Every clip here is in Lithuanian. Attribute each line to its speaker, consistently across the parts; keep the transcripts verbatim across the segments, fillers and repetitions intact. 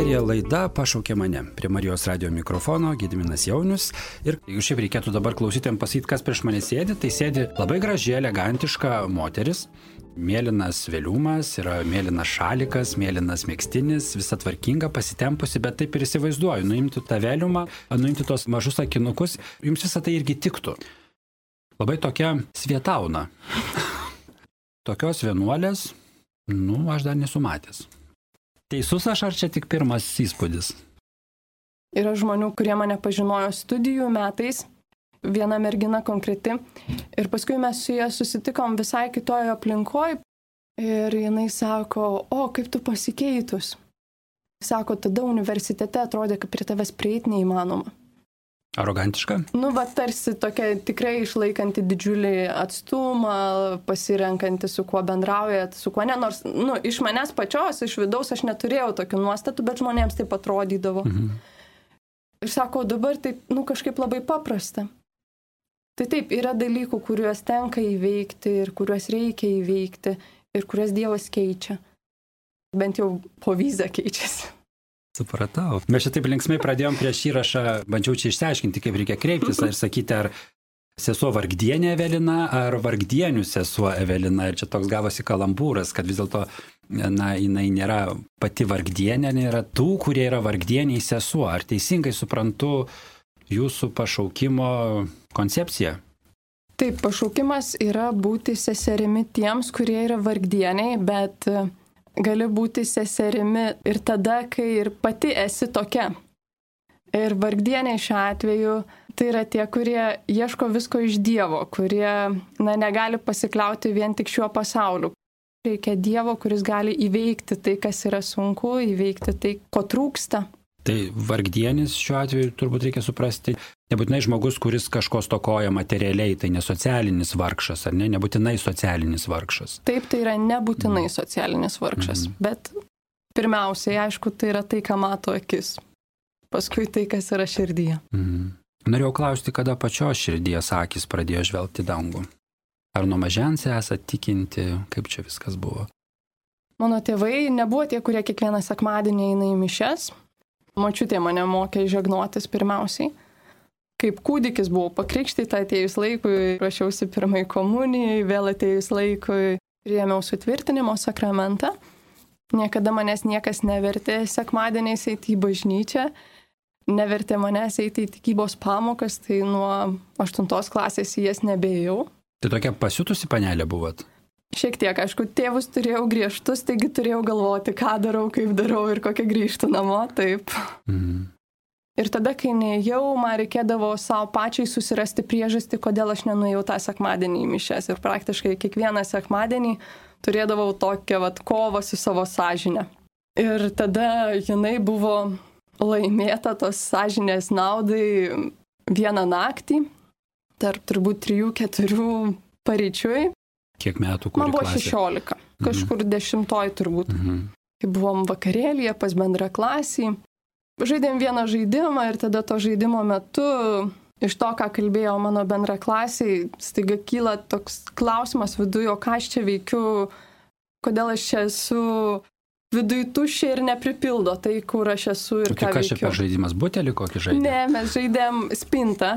Speaker 1: Eteryje laida Pašaukė mane. Prie Marijos radijo mikrofono Gediminas Jaunius. Ir jeigu šiaip reikėtų dabar klausytėm pasakyti, kas prieš mane sėdi, tai sėdi labai graži, elegantiška moteris. Mėlynas vėliumas, yra mėlynas šalikas, mėlynas megztinis, visa tvarkinga, pasitempusi, bet taip ir įsivaizduoju. Nuimti tą vėliumą, nuimti tos mažus akinukus, jums visą tai irgi tiktų. Labai tokia Svietauna. Tokios vienuolės, nu, aš dar nesu matęs. Teisus aš ar čia tik pirmas įspūdis?
Speaker 2: Yra žmonių, kurie mane pažinojo studijų metais, viena mergina konkreti, ir paskui mes su ja susitikom visai kitoje aplinkoje ir jinai sako, o kaip tu pasikeitus. Sako, tada universitete atrodė, kad prie tavęs prieiti neįmanoma.
Speaker 1: Arogantiška?
Speaker 2: Nu, va, tarsi tokia tikrai išlaikanti didžiulį atstumą, pasirenkanti su kuo bendraujat, su kuo ne, nors, nu, iš manęs pačios, iš vidaus aš neturėjau tokių nuostatų, bet žmonėms taip atrodydavo. Mhm. Ir sako, dabar taip, nu, kažkaip labai paprasta. Tai taip, yra dalykų, kuriuos tenka įveikti ir kuriuos reikia įveikti ir kuriuos Dievas keičia. Bent jau po vizą keičiasi.
Speaker 1: Supratau. Mes čia taip linksmai pradėjom prieš įrašą, bandžiau čia išsiaiškinti, kaip reikia kreiptis ir sakyti, ar sesuo Vargdienė Evelina, ar Vargdienių sesuo Evelina. Ir čia toks gavosi kalambūras, kad vis dėlto, na, jinai nėra pati Vargdienė, nėra tų, kurie yra Vargdieniai sesuo. Ar teisingai suprantu jūsų pašaukimo koncepciją?
Speaker 2: Taip, pašaukimas yra būti seserimi tiems, kurie yra vargdieniai, bet gali būti seserimi ir tada, kai ir pati esi tokia. Ir vargdieniai šiuo atveju tai yra tie, kurie ieško visko iš Dievo, kurie, na, negali pasikliauti vien tik šiuo pasauliu. Reikia Dievo, kuris gali įveikti tai, kas yra sunku, įveikti tai, ko trūksta.
Speaker 1: Tai vargdienis šiuo atveju turbūt reikia suprasti, nebūtinai žmogus, kuris kažko stokoja materialiai, tai ne socialinis vargšas, ar ne, nebūtinai socialinis vargšas.
Speaker 2: Taip, tai yra nebūtinai mm. socialinis vargšas, mm. bet pirmiausiai, aišku, tai yra tai, ką mato akis, paskui tai, kas yra širdyje.
Speaker 1: Mm. Norėjau klausti, kada pačios širdies akis pradėjo žvelgti dangų. Ar nuo mažens esate tikinti, kaip čia viskas buvo?
Speaker 2: Mano tėvai nebuvo tie, kurie kiekvieną sekmadienį eina į mišias. Močiutė mane mokė žegnotis pirmiausiai. Kaip kūdikis buvau pakrikštyta atėjus laikui, ruošiausi pirmai komunijai, vėl atėjus laikui priėmiau sutvirtinimo sakramentą. Niekada manęs niekas nevertė sekmadieniais eiti į bažnyčią, nevertė manęs eiti į tikybos pamokas, tai nuo aštuntos klasės į jas nebėjau.
Speaker 1: Tai tokia pasiutusi panelė buvot?
Speaker 2: Šiek tiek, aišku, tėvus turėjau griežtus, taigi turėjau galvoti, ką darau, kaip darau ir kokią grįžtų namo, taip. Mm. Ir tada, kai neėjau, man reikėdavo savo pačiai susirasti priežastį, kodėl aš nenuėjau tą sekmadienį į mišias. Ir praktiškai kiekvieną sekmadienį turėdavau tokią vat kovą su savo sąžine. Ir tada jinai buvo laimėta tos sąžinės naudai vieną naktį, tarp turbūt trijų, keturių paryčiui.
Speaker 1: Kiek metų, kuri
Speaker 2: Man buvo
Speaker 1: klasė?
Speaker 2: šešiolika, kažkur mhm. dešimtoj turbūt.
Speaker 1: Mhm.
Speaker 2: Kai buvom vakarėlyje pas bendrą klasį, žaidėm vieną žaidimą ir tada to žaidimo metu, iš to, ką kalbėjo mano bendra klasiai, staiga kyla toks klausimas viduje, o ką aš čia veikiu, kodėl aš čia esu viduje tuščia ir nepripildo tai, kur aš esu ir
Speaker 1: o
Speaker 2: ką
Speaker 1: tai
Speaker 2: veikiu.
Speaker 1: Ką čia per žaidimas, butelį kokį žaidėm?
Speaker 2: Ne, mes žaidėm spintą,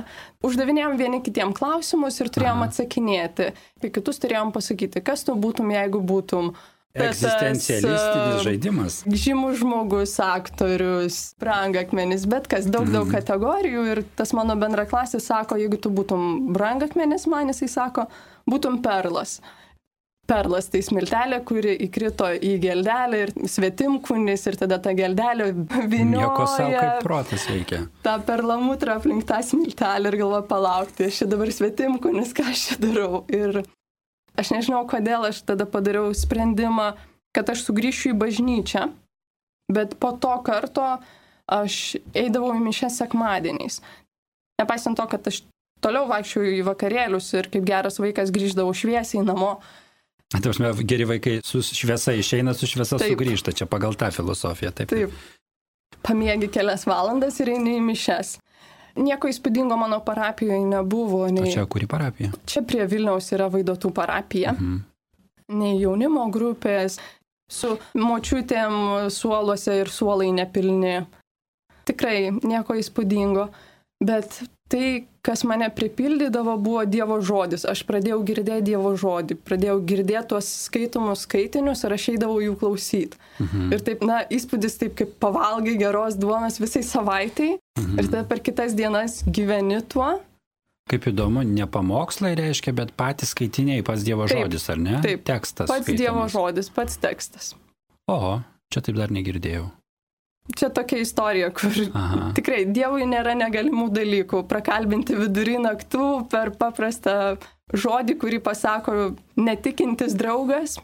Speaker 2: uždavinėjom vieni kitiem klausimus ir turėjom Aha. atsakinėti. Ir kitus turėjom pasakyti, kas tu būtum, jeigu būtum.
Speaker 1: Egzistencialistinis
Speaker 2: tas,
Speaker 1: žaidimas.
Speaker 2: Žymus žmogus, aktorius, brangakmenis, bet kas, daug, daug mm. kategorijų. Ir tas mano bendraklasis sako, jeigu tu būtum brangakmenis, man jisai sako, būtum perlas. Perlas tai smiltelė, kuri įkrito į geldelę ir svetimkūnis ir tada ta geldelė vynioja.
Speaker 1: Nieko savo kaip protas veikia.
Speaker 2: Ta perlamutra aplink tą smiltelę ir galvoju palaukti, aš čia dabar svetimkūnis, ką aš čia darau. Ir aš nežinau, kodėl aš tada padariau sprendimą, kad aš sugrįšiu į bažnyčią, bet po to karto aš eidavau į mišias sekmadieniais. Nepaisant to, kad aš toliau vaikščiau į vakarėlius ir kaip geras vaikas grįždavau šviesiai namo.
Speaker 1: Tai aš, geri vaikai su šviesa išeina, su šviesa
Speaker 2: taip.
Speaker 1: Sugrįžta, čia pagal tą filosofiją. Taip.
Speaker 2: Taip. Pamiegi kelias valandas ir eini į mišias. Nieko įspūdingo mano parapijoje nebuvo. Nei...
Speaker 1: O čia kuri parapija?
Speaker 2: Čia prie Vilniaus yra Vaidotų parapija. Mhm. Nei jaunimo grupės, su močiutėm suoluose ir suolai nepilni. Tikrai nieko įspūdingo, bet tai, kas mane pripildydavo, buvo Dievo žodis. Aš pradėjau girdėti Dievo žodį, pradėjau girdėti tuos skaitomus skaitinius ir aš eidavau jų klausyti. Mhm. Ir taip, na, įspūdis taip, kaip pavalgai geros duonos visai savaitai mhm. ir tada per kitas dienas gyveni tuo.
Speaker 1: Kaip įdomu, ne pamokslai reiškia, bet patys skaitiniai, pats Dievo taip, žodis, ar ne?
Speaker 2: Taip,
Speaker 1: tekstas.
Speaker 2: Pats
Speaker 1: skaitomas.
Speaker 2: Dievo žodis, pats tekstas.
Speaker 1: O, čia taip dar negirdėjau.
Speaker 2: Čia tokia istorija, kur Aha. tikrai Dievui nėra negalimų dalykų. Prakalbinti vidury naktų per paprastą žodį, kurį pasako netikintis draugas,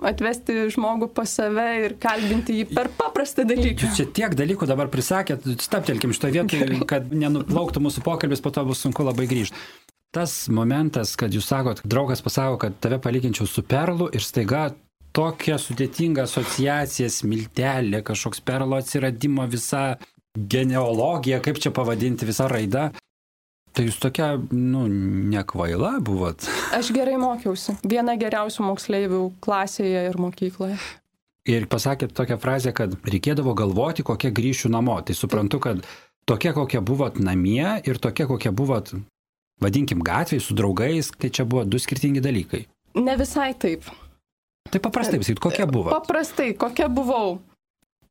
Speaker 2: atvesti žmogų pas save ir kalbinti jį per paprastą dalyką.
Speaker 1: Jūs čia tiek dalykų dabar prisakėt, staptelkim šitoje vietoje, kad nenuplauktų mūsų pokalbis, po to bus sunku labai grįžti. Tas momentas, kad jūs sakot, draugas pasako, kad tave palyginčiau su perlu ir staiga tokia sudėtinga asociacija, smiltelė, kažkoks perlo atsiradimo, visa genealogija, kaip čia pavadinti, visa raida. Tai jūs tokia, nu, nekvaila buvot.
Speaker 2: Aš gerai mokiausi. Viena geriausių moksleivių klasėje ir mokykloje.
Speaker 1: Ir pasakėt tokią frazę, kad reikėdavo galvoti, kokia grįšiu namo. Tai suprantu, kad tokia, kokia buvot namie ir tokia, kokia buvot, vadinkim, gatvėje su draugais, tai čia buvo du skirtingi dalykai.
Speaker 2: Ne visai taip.
Speaker 1: Tai paprastai visai, kokia buvo?
Speaker 2: Paprastai, kokia buvau.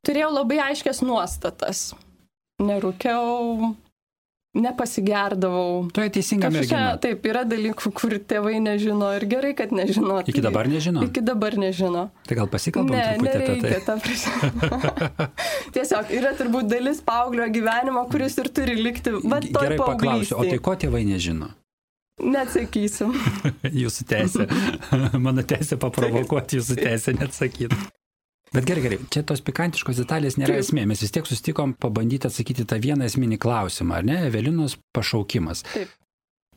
Speaker 2: Turėjau labai aiškias nuostatas. Nerūkiau, nepasigerdavau.
Speaker 1: Tu esi teisinga mergina.
Speaker 2: Taip, yra dalykų, kur tėvai nežino ir gerai, kad nežino.
Speaker 1: Iki dabar nežino?
Speaker 2: Iki dabar nežino.
Speaker 1: Tai gal pasikalbam
Speaker 2: ne,
Speaker 1: truputį apie tai?
Speaker 2: Ne, ta prasme. Tiesiog yra turbūt dalis paauglio gyvenimo, kuris ir turi likti, bet toj
Speaker 1: gerai paklausiu, o tai ko tėvai nežino?
Speaker 2: Neatsakysim.
Speaker 1: Jūsų teisė. Mano teisė paprovokuoti, jūsų teisė neatsakyti. Bet gerai, gerai, čia tos pikantiškos detalės nėra Taip. esmė. Mes vis tiek susitikom pabandyti atsakyti tą vieną esminį klausimą, ar ne? Evelinos pašaukimas.
Speaker 2: Taip.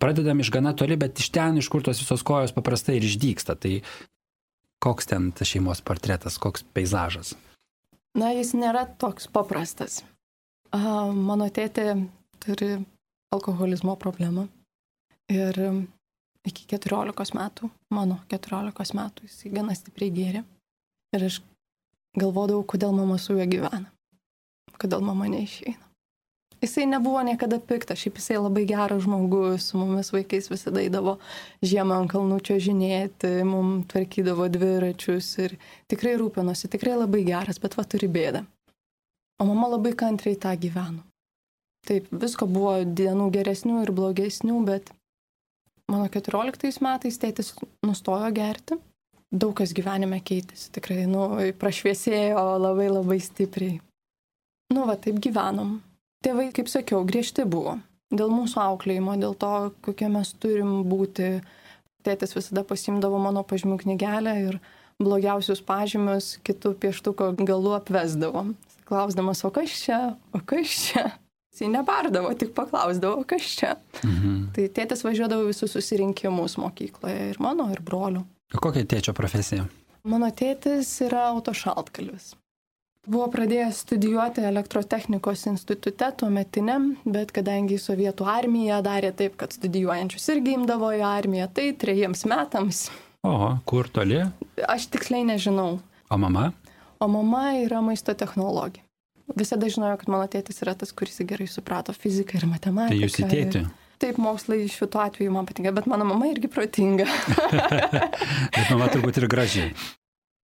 Speaker 1: Pradedam iš gana toli, bet iš ten, iš kur tos visos kojos paprastai ir išdyksta. Tai koks ten tas šeimos portretas, koks peizažas?
Speaker 2: Na, jis nėra toks paprastas. A, mano tėtė turi alkoholizmo problemą. Ir iki keturiolikos metų, mano keturiolikos metų, jis gana stipriai gėrė. Ir aš galvodavau, kodėl mama su juo gyvena. Kodėl mama neišeina. Jisai nebuvo niekada piktas, šiaip jisai labai geras žmogus, su mumis vaikais visada eidavo žiemą ant kalnų čiuožinėti, mums tvarkydavo dviračius ir tikrai rūpinosi, tikrai labai geras, bet va turi bėdą. O mama labai kantriai tą gyveno. Taip, visko buvo dienų geresnių ir blogesnių, bet mano keturioliktais metais tėtis nustojo gerti. Daug kas gyvenime keitėsi, tikrai, nu, prašviesėjo labai labai stipriai. Nu, va, taip gyvenom. Tėvai, kaip sakiau, griežti buvo. Dėl mūsų auklėjimo, dėl to, kokie mes turim būti. Tėtis visada pasimdavo mano pažymių knygelę ir blogiausius pažymius kitų pieštuko galų apvesdavo. Klausdamas, o kas čia, o kas čia? Jis nebardavo, tik paklausdavo, kas čia. Mhm. Tai tėtis važiuodavo visus susirinkimus mokykloje, ir mano, ir brolių.
Speaker 1: O kokia tėčio profesija?
Speaker 2: Mano tėtis yra autošaltkalvis. Buvo pradėjęs studijuoti elektrotechnikos institute tuometiniam, bet kadangi sovietų armija darė taip, kad studijuojančius irgi imdavo į armiją, tai trejiems metams.
Speaker 1: O, kur toli?
Speaker 2: Aš tiksliai nežinau.
Speaker 1: O mama?
Speaker 2: O mama yra maisto technologė. Visada žinojo, kad mano tėtis yra tas, kuris gerai suprato fiziką ir matematiką.
Speaker 1: Tai jūs į tėtį?
Speaker 2: Taip, mokslai šituo atveju man patinka, bet mano mama irgi protinga.
Speaker 1: Bet mama turbūt ir gražiai.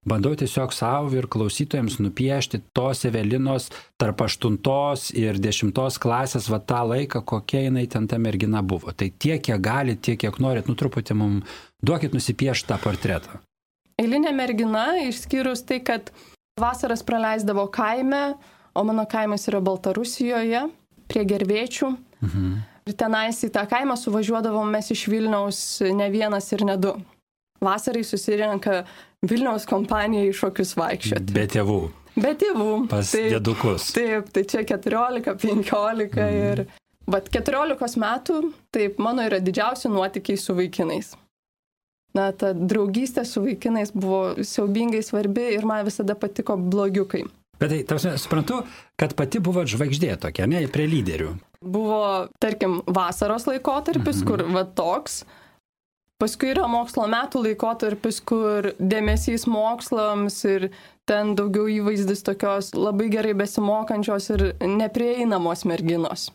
Speaker 1: Bandau tiesiog savo ir klausytojams nupiešti tos Evelinos tarp aštuntos ir dešimtos klasės va tą laiką, kokia jinai ten ta mergina buvo. Tai tiek, kiek gali, tiek, kiek norit, nu truputį mums duokit nusipiešti tą portretą.
Speaker 2: Eilinė mergina, išskyrus tai, kad vasaras praleisdavo kaime, o mano kaimas yra Baltarusijoje, prie Gervėčių. Mhm. Ir tenais į tą kaimą suvažiuodavom mes iš Vilniaus ne vienas ir ne du. Vasarai susirenka Vilniaus kompanija į šokius vaikščioti.
Speaker 1: Be tėvų.
Speaker 2: Be tėvų.
Speaker 1: Pas taip, dėdukus.
Speaker 2: Taip, tai čia keturiolika, penkiolika mhm. ir... Bet keturiolikos metų, taip, mano yra didžiausi nuotykiai su vaikinais. Na, ta draugystė su vaikinais buvo siaubingai svarbi ir man visada patiko blogiukai.
Speaker 1: Bet tai, tarsi, suprantu, kad pati buvo žvaigždė tokia, ne, prie lyderių.
Speaker 2: Buvo, tarkim, vasaros laikotarpis, mhm. kur va toks, Paskui yra mokslo metų laikotarpis, kur dėmesys mokslams ir ten daugiau įvaizdis tokios labai gerai besimokančios ir neprieinamos merginos.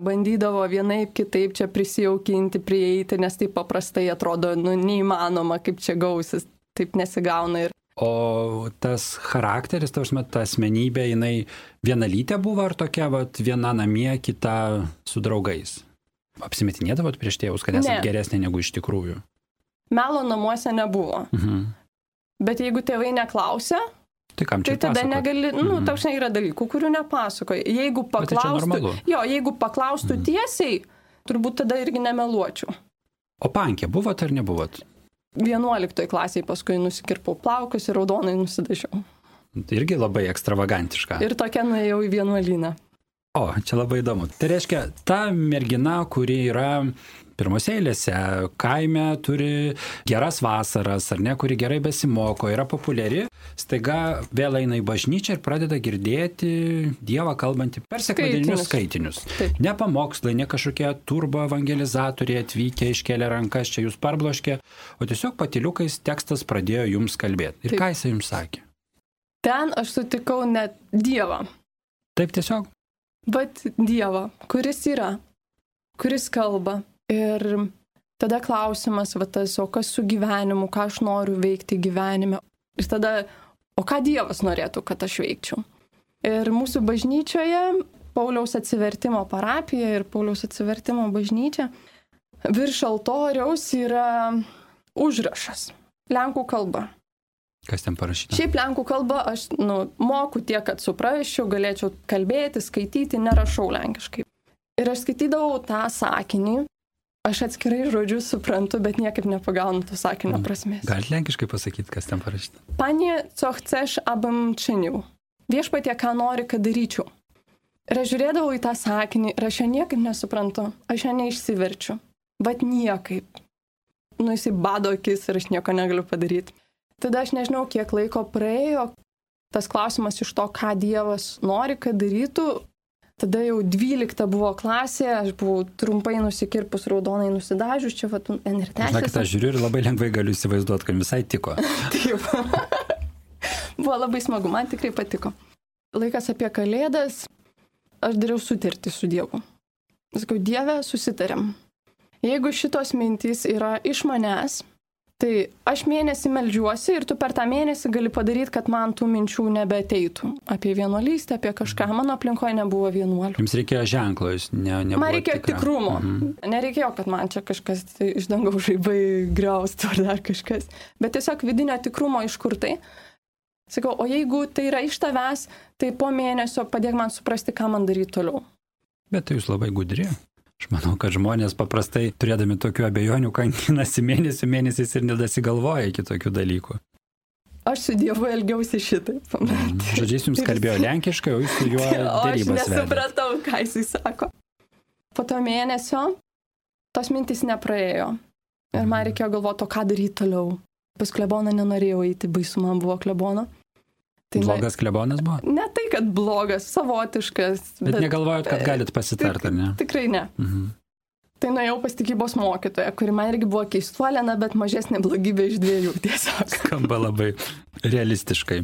Speaker 2: Bandydavo vienaip kitaip čia prisijaukinti, prieiti, nes taip paprastai atrodo, nu, neįmanoma, kaip čia gausis, taip nesigauna. Ir...
Speaker 1: O tas charakteris, tavs met, ta asmenybė, jinai vienalytė buvo ar tokia, vat, viena namie, kita su draugais? Apsimetinėdavot prieš tėvus, kad esate geresnė negu iš tikrųjų?
Speaker 2: Melo namuose nebuvo. Mhm. Bet jeigu tėvai neklausia, tai, tai tada pasakot? Negali, nu, mhm. Tausne yra dalykų, kurių nepasakoja. Jeigu paklaustų, jo, jeigu paklaustų mhm. tiesiai, turbūt tada irgi nemeluočiau.
Speaker 1: O pankė buvot ar nebuvot?
Speaker 2: vienuoliktoj klasėje paskui nusikirpau plaukus ir raudonai nusidažiau.
Speaker 1: Tai irgi labai ekstravagantiška.
Speaker 2: Ir tokia nuėjau į vienuolyną.
Speaker 1: O, čia labai įdomu. Tai reiškia, ta mergina, kuri yra pirmose eilėse, kaime turi geras vasaras, ar ne, kuri gerai besimoko, yra populiari, staiga vėl eina į bažnyčią ir pradeda girdėti Dievą kalbantį per sekmadieninius skaitinius. Taip. Ne pamokslai, ne kažkokie turbo evangelizatoriai atvykę, iškėlė rankas, čia jūs parbloškė, o tiesiog patyliukais tekstas pradėjo jums kalbėti. Ir Taip. Ką jis jums sakė?
Speaker 2: Ten aš sutikau net Dievą.
Speaker 1: Taip tiesiog?
Speaker 2: Bet Dievą, kuris yra, kuris kalba. Ir tada klausimas, va tas, o kas su gyvenimu, ką aš noriu veikti gyvenime. Ir tada, o ką Dievas norėtų, kad aš veikčiau. Ir mūsų bažnyčioje, Pauliaus atsivertimo parapija ir Pauliaus atsivertimo bažnyčia, virš altoriaus yra užrašas, lenkų kalba.
Speaker 1: Kas ten parašyta?
Speaker 2: Šiaip lenkų kalbą aš nu, moku tiek, kad suprasčiau, galėčiau kalbėti, skaityti, nerašau lenkiškai. Ir aš skaitydavau tą sakinį, aš atskirai žodžius suprantu, bet niekaip nepagaunu to sakinio prasmės.
Speaker 1: Galite lenkiškai pasakyti, kas ten parašyta?
Speaker 2: Panie, co chcesz, abym czynił. Viešpatie, ką nori, kad daryčiau. Ir aš žiūrėdavau į tą sakinį ir aš jo niekaip nesuprantu, aš jo neišsiverčiu. Bet niekaip. Nu, jisai bado akis ir aš nieko negaliu padaryti. Tada aš nežinau, kiek laiko praėjo tas klausimas iš to, ką Dievas nori, kad darytų. Tada jau dvylikta buvo klasė, aš buvau trumpai nusikirpus, raudonai nusidažius, čia vat N ir tęsiasi.
Speaker 1: Žinokit, aš žiūriu ir labai lengvai galiu įsivaizduoti, kad visai tiko.
Speaker 2: Taip. Buvo labai smagu, man tikrai patiko. Laikas apie Kalėdas, aš dariau sutartį su Dievu. Sakau, Dieve, susitarėm. Jeigu šitos mintys yra iš manęs, tai aš mėnesį meldžiuosi ir tu per tą mėnesį gali padaryti, kad man tų minčių nebeateitų. Apie vienuolystę, apie kažką. Mano aplinkoje nebuvo vienuolių.
Speaker 1: Jums reikėjo ženklo, jūs ne, nebuvo
Speaker 2: man reikėjo tikra. Tikrumo. Mhm. Nereikėjo, kad man čia kažkas tai iš dangaus žaibai griaustų ar dar kažkas. Bet tiesiog vidinio tikrumo iš kur tai. Sakau, o jeigu tai yra iš tavęs, tai po mėnesio padėk man suprasti, ką man daryti toliau.
Speaker 1: Bet tai jūs labai gudri. Aš manau, kad žmonės paprastai, turėdami tokių abejonių, kankinasi mėnesių mėnesiais ir nedasigalvoja iki tokių dalykų.
Speaker 2: Aš su Dievu elgiausi šitaip.
Speaker 1: Mm. Žodžiais jums kalbėjo lenkiškai, o jūs su juo dėrybas vedėte.
Speaker 2: Aš nesupratau, ką jisai sako. Po to mėnesio tos mintys nepraėjo. Ir man reikėjo galvoti, o ką daryti toliau. Pas kleboną nenorėjau eiti, baisu man buvo klebono.
Speaker 1: Tai blogas klebonas buvo?
Speaker 2: Ne tai, kad blogas, savotiškas.
Speaker 1: Bet, bet negalvojot, kad galit pasitarti, ar ne?
Speaker 2: Tikrai ne. Mhm. Tai nuėjau pas tikybos mokytoją, kuri man irgi buvo keistuolėna, bet mažesnė blogybė iš dviejų tiesiog.
Speaker 1: Skamba labai realistiškai.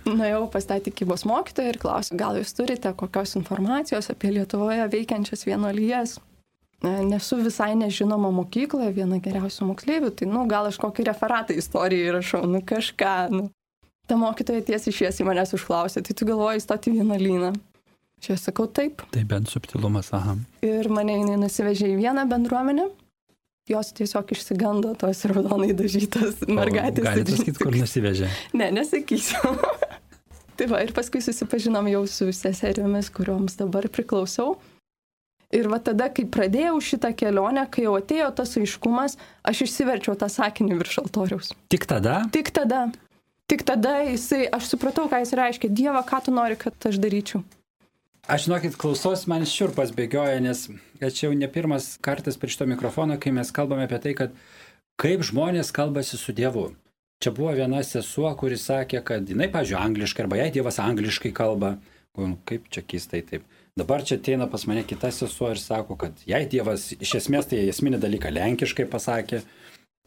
Speaker 2: Nuėjau pas tą tikybos mokytoją ir klausiu, gal jūs turite kokios informacijos apie Lietuvoje veikiančias vienuolijas? Nesu visai nežinoma mokykloje, viena geriausių moksleivių, tai nu, gal aš kokį referatą istorijai rašau, nu kažką, nu. Ta mokytoja tiesiai šviesiai manęs užklausė, tai tu galvoji įstoti į vienuolyną. Čia sakau taip.
Speaker 1: Tai bent subtilumas, aha.
Speaker 2: Ir mane jinai nusivežė į vieną bendruomenę. Jos tiesiog išsigando tos raudonai dažytos mergaitės.
Speaker 1: Galite pasakyti, kur nusivežė?
Speaker 2: Ne, nesakysiu. Tai va, ir paskui susipažinom jau su seseriomis, kurioms dabar priklausau. Ir va tada, kai pradėjau šitą kelionę, kai jau atėjo tas aiškumas, aš išsiverčiau tą sakinį virš altoriaus.
Speaker 1: Tik tada?
Speaker 2: Tik tada. Tik tada jisai, aš supratau, ką jis reiškia. Dieve, ką tu nori, kad aš daryčiau?
Speaker 1: Aš, žinokit, klausos, man šiurpas bėgioja, nes čia jau ne pirmas kartas prie šito mikrofono, kai mes kalbame apie tai, kad kaip žmonės kalbasi su Dievu. Čia buvo viena sesuo, kuris sakė, kad jinai, pavyzdžiui, angliškai, arba jai Dievas angliškai kalba. Kaip čia keistai taip. Dabar čia ateina pas mane kita sesuo ir sako, kad jei Dievas iš esmės tai esminį dalyką lenkiškai pasakė,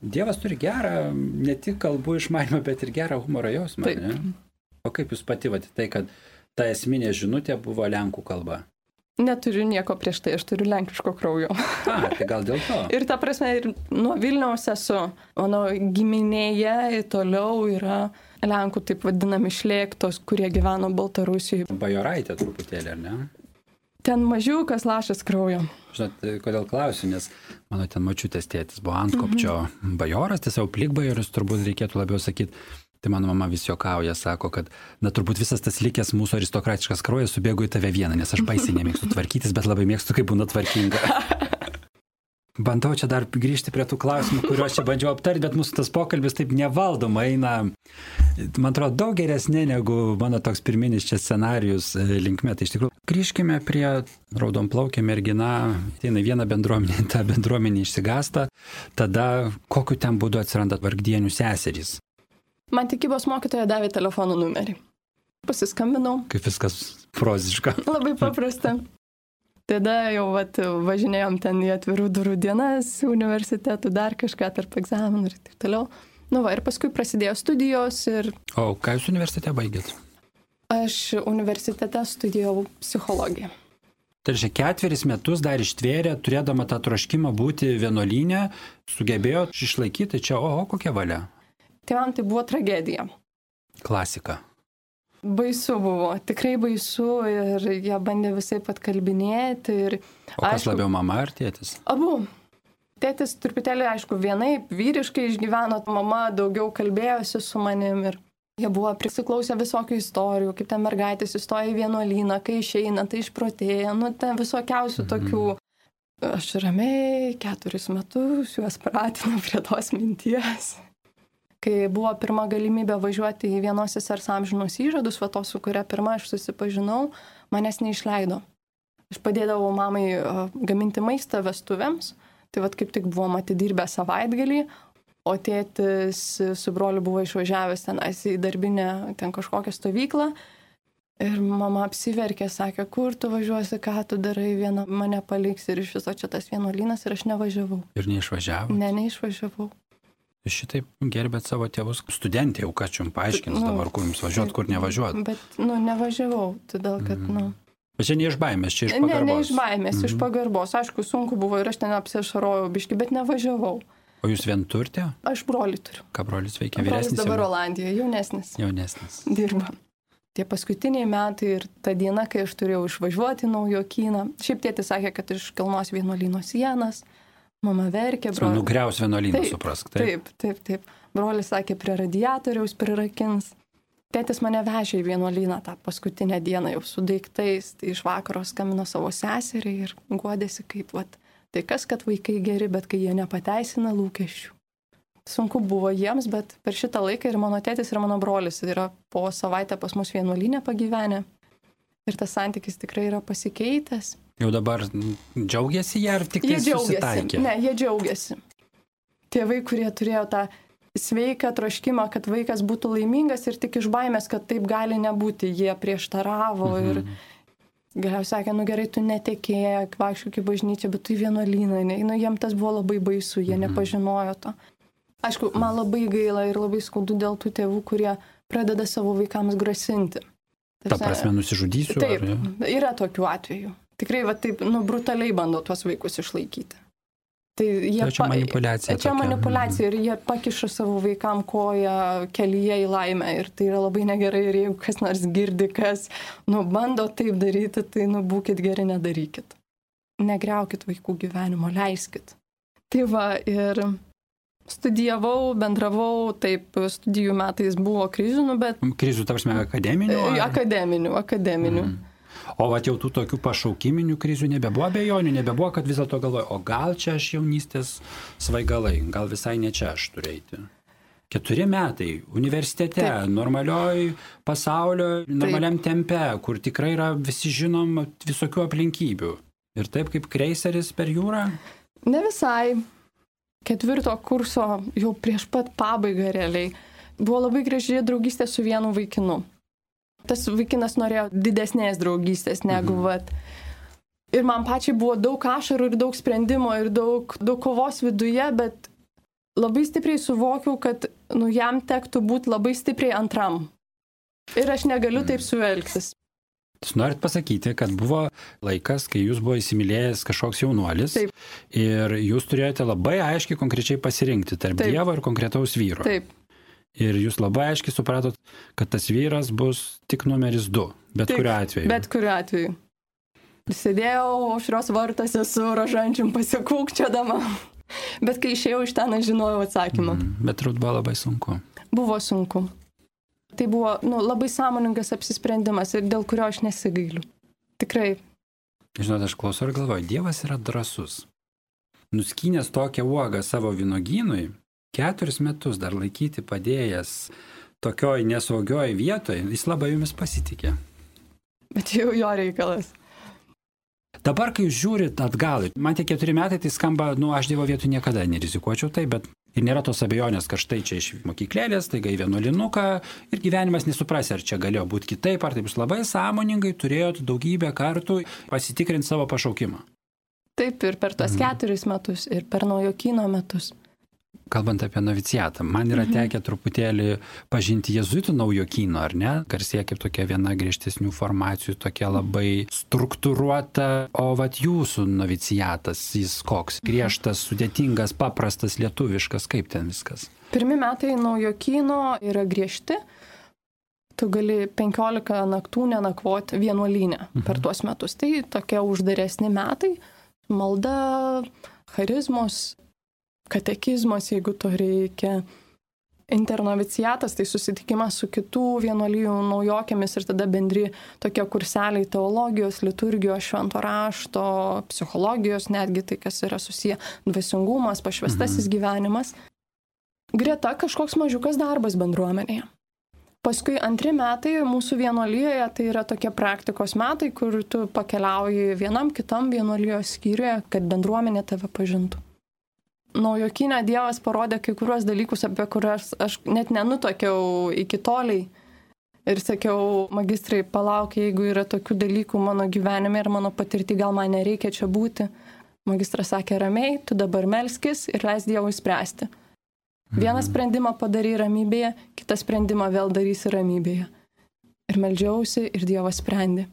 Speaker 1: Dievas turi gerą, ne tik kalbų išmanymą, bet ir gerą humoro jausmą. Ne? O kaip jūs pati vat, tai, kad ta esminė žinutė buvo lenkų kalba?
Speaker 2: Neturiu nieko prieš tai, aš turiu lenkiško kraujo.
Speaker 1: A, tai gal dėl to.
Speaker 2: Ir ta prasme, ir nuo Vilniaus esu, mano giminėje toliau yra lenkų taip vadinami šlėktos, kurie gyveno Baltarusijoje.
Speaker 1: Bajoraitė truputėlį, ar ne?
Speaker 2: Ten mažiukas lašas kraujo.
Speaker 1: Žinot, kodėl klausiu, nes mano ten močiutės tėtis buvo Antkopčio mm-hmm. bajoras, tiesiog plikbajoris turbūt reikėtų labiau sakyti. Tai mano mama vis juokauja, sako, kad na turbūt visas tas likęs mūsų aristokratiškas kraujas subėgo į tave vieną, nes aš baisiai nemėgstu tvarkytis, bet labai mėgstu, kaip būna tvarkinga. Bandau čia dar grįžti prie tų klausimų, kuriuos čia bandžiau aptarti, bet mūsų tas pokalbis taip nevaldoma eina, man atrodo, daug geresnė negu mano toks pirminis čia scenarijus linkme. Tai iš tikrųjų, grįžkime prie raudonplaukė mergina, ateina viena bendruomenė, ta bendruomenė išsigąsta, tada kokiu ten būdu atsiranda vargdienių seserys.
Speaker 2: Man tikybos mokytoja davė telefono numerį. Pasiskambinau.
Speaker 1: Kaip viskas proziška.
Speaker 2: Labai paprasta. Tada jau vat, važinėjom ten į atvirų durų dienas, universitetų, dar kažką tarp egzaminų ir taip toliau. Nu va, ir paskui prasidėjo studijos ir...
Speaker 1: O ką jūs universitete baigėt?
Speaker 2: Aš universitete studijavau psichologiją.
Speaker 1: Tai reiškia, ketveris metus dar ištvėrė, turėdama tą troškimą būti vienuolyne, sugebėjo išlaikyti, čia oho, kokia valia.
Speaker 2: Tėvam tai buvo tragedija.
Speaker 1: Klasika.
Speaker 2: Baisu buvo, tikrai baisu ir jie bandė visai atkalbinėti. Ir,
Speaker 1: o kas
Speaker 2: aišku,
Speaker 1: labiau, mama ar tėtis?
Speaker 2: Abu. Tėtis truputėlį, aišku, vienaip vyriškai išgyveno, mama daugiau kalbėjosi su manim ir jie buvo prisiklausę visokių istorijų, kaip ten mergaitės įstoja į vienuolyną, kai išeina, tai išprotėja, nu ten visokiausių mm-hmm. tokių. Aš ramiai keturis metus juos pratinu prie tos minties. Kai buvo pirma galimybė važiuoti į vienos sesers amžinus įžadus, va to, su kuria pirma aš susipažinau, manęs neišleido. Aš padėdavau mamai gaminti maistą vestuvėms, tai va kaip tik buvom atidirbę savaitgalį, o tėtis su broliu buvo išvažiavęs tenais į darbinę ten kažkokią stovyklą. Ir mama apsiverkė, sakė, kur tu važiuosi, ką tu darai, viena mane paliks ir iš viso čia tas vienuolynas ir aš nevažiavau.
Speaker 1: Ir neišvažiavau?
Speaker 2: Ne, neišvažiavau.
Speaker 1: Šitaip gerbėt savo tėvus. Studentė jau ką čia jums paaiškins nu, dabar, kur jums važiuot, kur nevažiuot.
Speaker 2: Bet, nu, nevažiavau, todėl, kad, mm. nu...
Speaker 1: Bet čia ne iš baimės, čia iš pagarbos.
Speaker 2: Ne, ne iš baimės, mm-hmm. iš pagarbos. Aišku, sunku buvo ir aš ten apsiašarojau biškį, bet nevažiavau.
Speaker 1: O jūs vien turite?
Speaker 2: Aš brolį turiu.
Speaker 1: Ką brolis veikia? Vyresnis?
Speaker 2: Brolis dabar
Speaker 1: jau...
Speaker 2: Olandijoje, jaunesnis.
Speaker 1: Jaunesnis.
Speaker 2: Dirba. Tie paskutiniai metai ir ta diena, kai aš turėjau išvažiuoti į Naujokyną. Šiaip tėtis sakė, kad iš Kelnos vienuolyno sienas. Mama verkė, brolis.
Speaker 1: Nugriaus vienuolyną, suprask.
Speaker 2: Taip, taip, taip. Brolis sakė, prie radiatoriaus prirakins. Tėtis mane vežė į vienuolyną tą paskutinę dieną jau su daiktais. Tai iš vakaro skambino savo seseriai ir guodėsi kaip, vat, tai kas, kad vaikai geri, bet kai jie nepateisina lūkesčių. Sunku buvo jiems, bet per šitą laiką ir mano tėtis, ir mano brolis yra po savaitę pas mus vienuolynę pagyvenę. Ir tas santykis tikrai yra pasikeitęs.
Speaker 1: Jau dabar džiaugiasi jie ar tik tai susitaikė?
Speaker 2: Ne, jie džiaugiasi. Tėvai, kurie turėjo tą sveiką troškimą, kad vaikas būtų laimingas ir tik iš baimės, kad taip gali nebūti, jie prieštaravo mhm. ir galiausiai sakė, nu gerai, tu netekėk, vaikščiok į bažnyčią, bet tu į vienuolyną, ne, nu jiem tas buvo labai baisu, jie mhm. nepažinojo to. Aišku, man labai gaila ir labai skaudu dėl tų tėvų, kurie pradeda savo vaikams grasinti.
Speaker 1: Ta prasme, nusižudysiu?
Speaker 2: Taip,
Speaker 1: ar, ja?
Speaker 2: Yra tokių atvejų. Tikrai, va taip, nu, brutaliai bando tuos vaikus išlaikyti. Tai jie
Speaker 1: tai čia manipulacija.
Speaker 2: Čia
Speaker 1: tokia.
Speaker 2: manipulacija ir jie pakiša savo vaikam koją kelyje į laimę ir tai yra labai negerai ir jeigu kas nors girdi, kas, nu, bando taip daryti, tai, nu, būkit geri, nedarykit. Negriaukit vaikų gyvenimo, leiskit. Tai va, ir studijavau, bendravau, taip, studijų metais buvo krizių, nu, bet...
Speaker 1: Krizių, ta prasme, akademinių? Ar...
Speaker 2: Akademinių, akademinių. Mm.
Speaker 1: O vat jau tų tokių pašaukiminių krizių nebebuvo abejonių, nebebuvo, kad vis dėlto galvoju, o gal čia aš jaunystės svaigalai, gal visai ne čia aš turėti. Keturi metai universitete, taip. Normalioj pasaulio, normaliam taip. Tempe, kur tikrai yra visi žinom visokių aplinkybių. Ir taip kaip kreiseris per jūrą?
Speaker 2: Ne visai. Ketvirto kurso jau prieš pat pabaigą realiai buvo labai graži draugystė su vienu vaikinu. Tas vaikinas norėjo didesnės draugystės negu mhm. vat. Ir man pačiai buvo daug ašarų ir daug sprendimo ir daug, daug kovos viduje, bet labai stipriai suvokiau, kad nu, jam tektų būti labai stipriai antram. Ir aš negaliu taip suelgtis.
Speaker 1: Jūs norit pasakyti, kad buvo laikas, kai jūs buvo įsimylėjęs kažkoks jaunuolis taip. Ir jūs turėjote labai aiškiai konkrečiai pasirinkti tarp taip. Dievo ir konkretaus vyro.
Speaker 2: Taip.
Speaker 1: Ir jūs labai aiškiai supratot, kad tas vyras bus tik numeris du, bet tik, kuriuo atveju.
Speaker 2: Bet kuriuo atveju. Sėdėjau aušros vartuose su rožančium pasikūkčiodama, bet kai išėjau iš ten, aš žinojau atsakymą.
Speaker 1: Mm, bet turbūt buvo labai sunku.
Speaker 2: Buvo sunku. Tai buvo nu, labai sąmoningas apsisprendimas ir dėl kurio aš nesigailiu. Tikrai.
Speaker 1: Žinot, aš klausau ir galvoju, Dievas yra drąsus. Nuskynęs tokią uogą savo vynogynui, keturis metus dar laikyti padėjęs tokioj nesaugioj vietoje, jis labai jumis pasitikė.
Speaker 2: Bet jau jo reikalas.
Speaker 1: Dabar, kai jūs žiūrit atgal, man tie keturi metai, tai skamba, nu, aš Dievo vietų niekada nerizikuočiau tai, bet ir nėra tos abejonės, kad štai čia iš mokyklėlės, taiga į vienuolinuką ir gyvenimas nesuprasi, ar čia galėjo būti kitaip, ar taip jūs labai sąmoningai turėjot daugybę kartų pasitikrinti savo pašaukimą.
Speaker 2: Taip, ir per tos mhm. keturis metus, ir per Naujokyno metus.
Speaker 1: Kalbant apie novicijatą, man yra tekę truputėlį pažinti jėzuitų Naujokyno, ar ne? Garsėja kaip tokia viena griežtesnių formacijų, tokia labai struktūruota, o vat jūsų novicijatas, jis koks? Griežtas, sudėtingas, paprastas, lietuviškas, kaip ten viskas?
Speaker 2: Pirmi metai Naujokyno yra griežti. Tu gali penkiolika naktų nenakvoti vienuolyne mhm. per tuos metus. Tai tokie uždaresni metai, malda, charizmos, katekizmas, jeigu to reikia. Internoviciatas, tai susitikimas su kitų vienuolijų naujokėmis ir tada bendri tokie kurseliai teologijos, liturgijos, švento rašto, psichologijos, netgi tai, kas yra susiję dvasingumas, pašvestasis mhm. gyvenimas. Greta kažkoks mažiukas darbas bendruomenėje. Paskui antri metai mūsų vienuolijoje tai yra tokie praktikos metai, kur tu pakeliauji vienam kitam vienuolijos skyriuje, kad bendruomenė tave pažintų. Naujokyne Dievas parodė kai kuriuos dalykus, apie kuriuos aš net nenutokiau iki toliai. Ir sakiau, magistrai, palauk, jeigu yra tokių dalykų mano gyvenime ir mano patirti, gal man nereikia čia būti. Magistras sakė, ramiai, tu dabar melskis ir leis Dievui spręsti. Vieną sprendimą padarai ramybėje, kitą sprendimą vėl darysi ramybėje. Ir meldžiausi ir Dievas sprendė.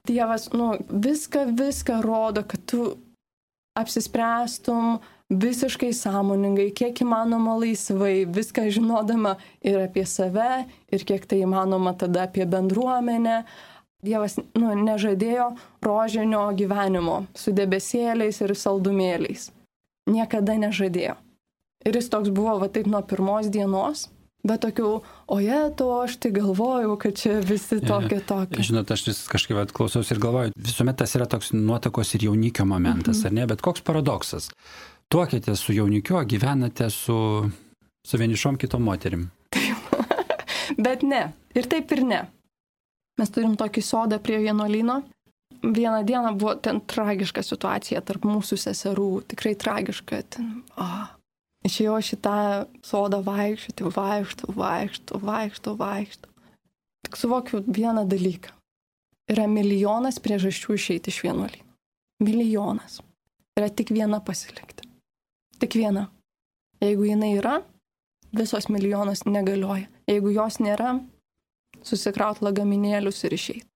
Speaker 2: Dievas, nu, viską, viską rodo, kad tu apsispręstum visiškai sąmoningai, kiek įmanoma laisvai, viską žinodama ir apie save, ir kiek tai įmanoma tada apie bendruomenę. Dievas nu, nežadėjo rožinio gyvenimo su debesėliais ir saldumėliais. Niekada nežadėjo. Ir jis toks buvo va taip nuo pirmos dienos, bet tokių, oje, to aš tai galvojau, kad čia visi tokie tokie.
Speaker 1: Žinot, aš vis kažkaip klausiausi ir galvoju, visuomet tas yra toks nuotakos ir jaunikio momentas, mhm. ar ne? Bet koks paradoksas? Tuokėte su jaunikiu, gyvenate su, su vienišom kitom moterim.
Speaker 2: Taip, bet ne. Ir taip ir ne. Mes turim tokį sodą prie vienuolyno. Vieną dieną buvo ten tragiška situacija tarp mūsų seserų. Tikrai tragiška. Ten, oh. Išėjau šitą sodą vaikščioti, vaikštų, vaikštų, vaikštų, vaikštų. Tik suvokiu vieną dalyką. Yra milijonas priežasčių išeiti iš vienuolyno. Milijonas. Yra tik viena pasilikti. Tik viena. Jeigu jinai yra, visos milijonas negalioja. Jeigu jos nėra, susikraut lagaminėlius ir išeiti.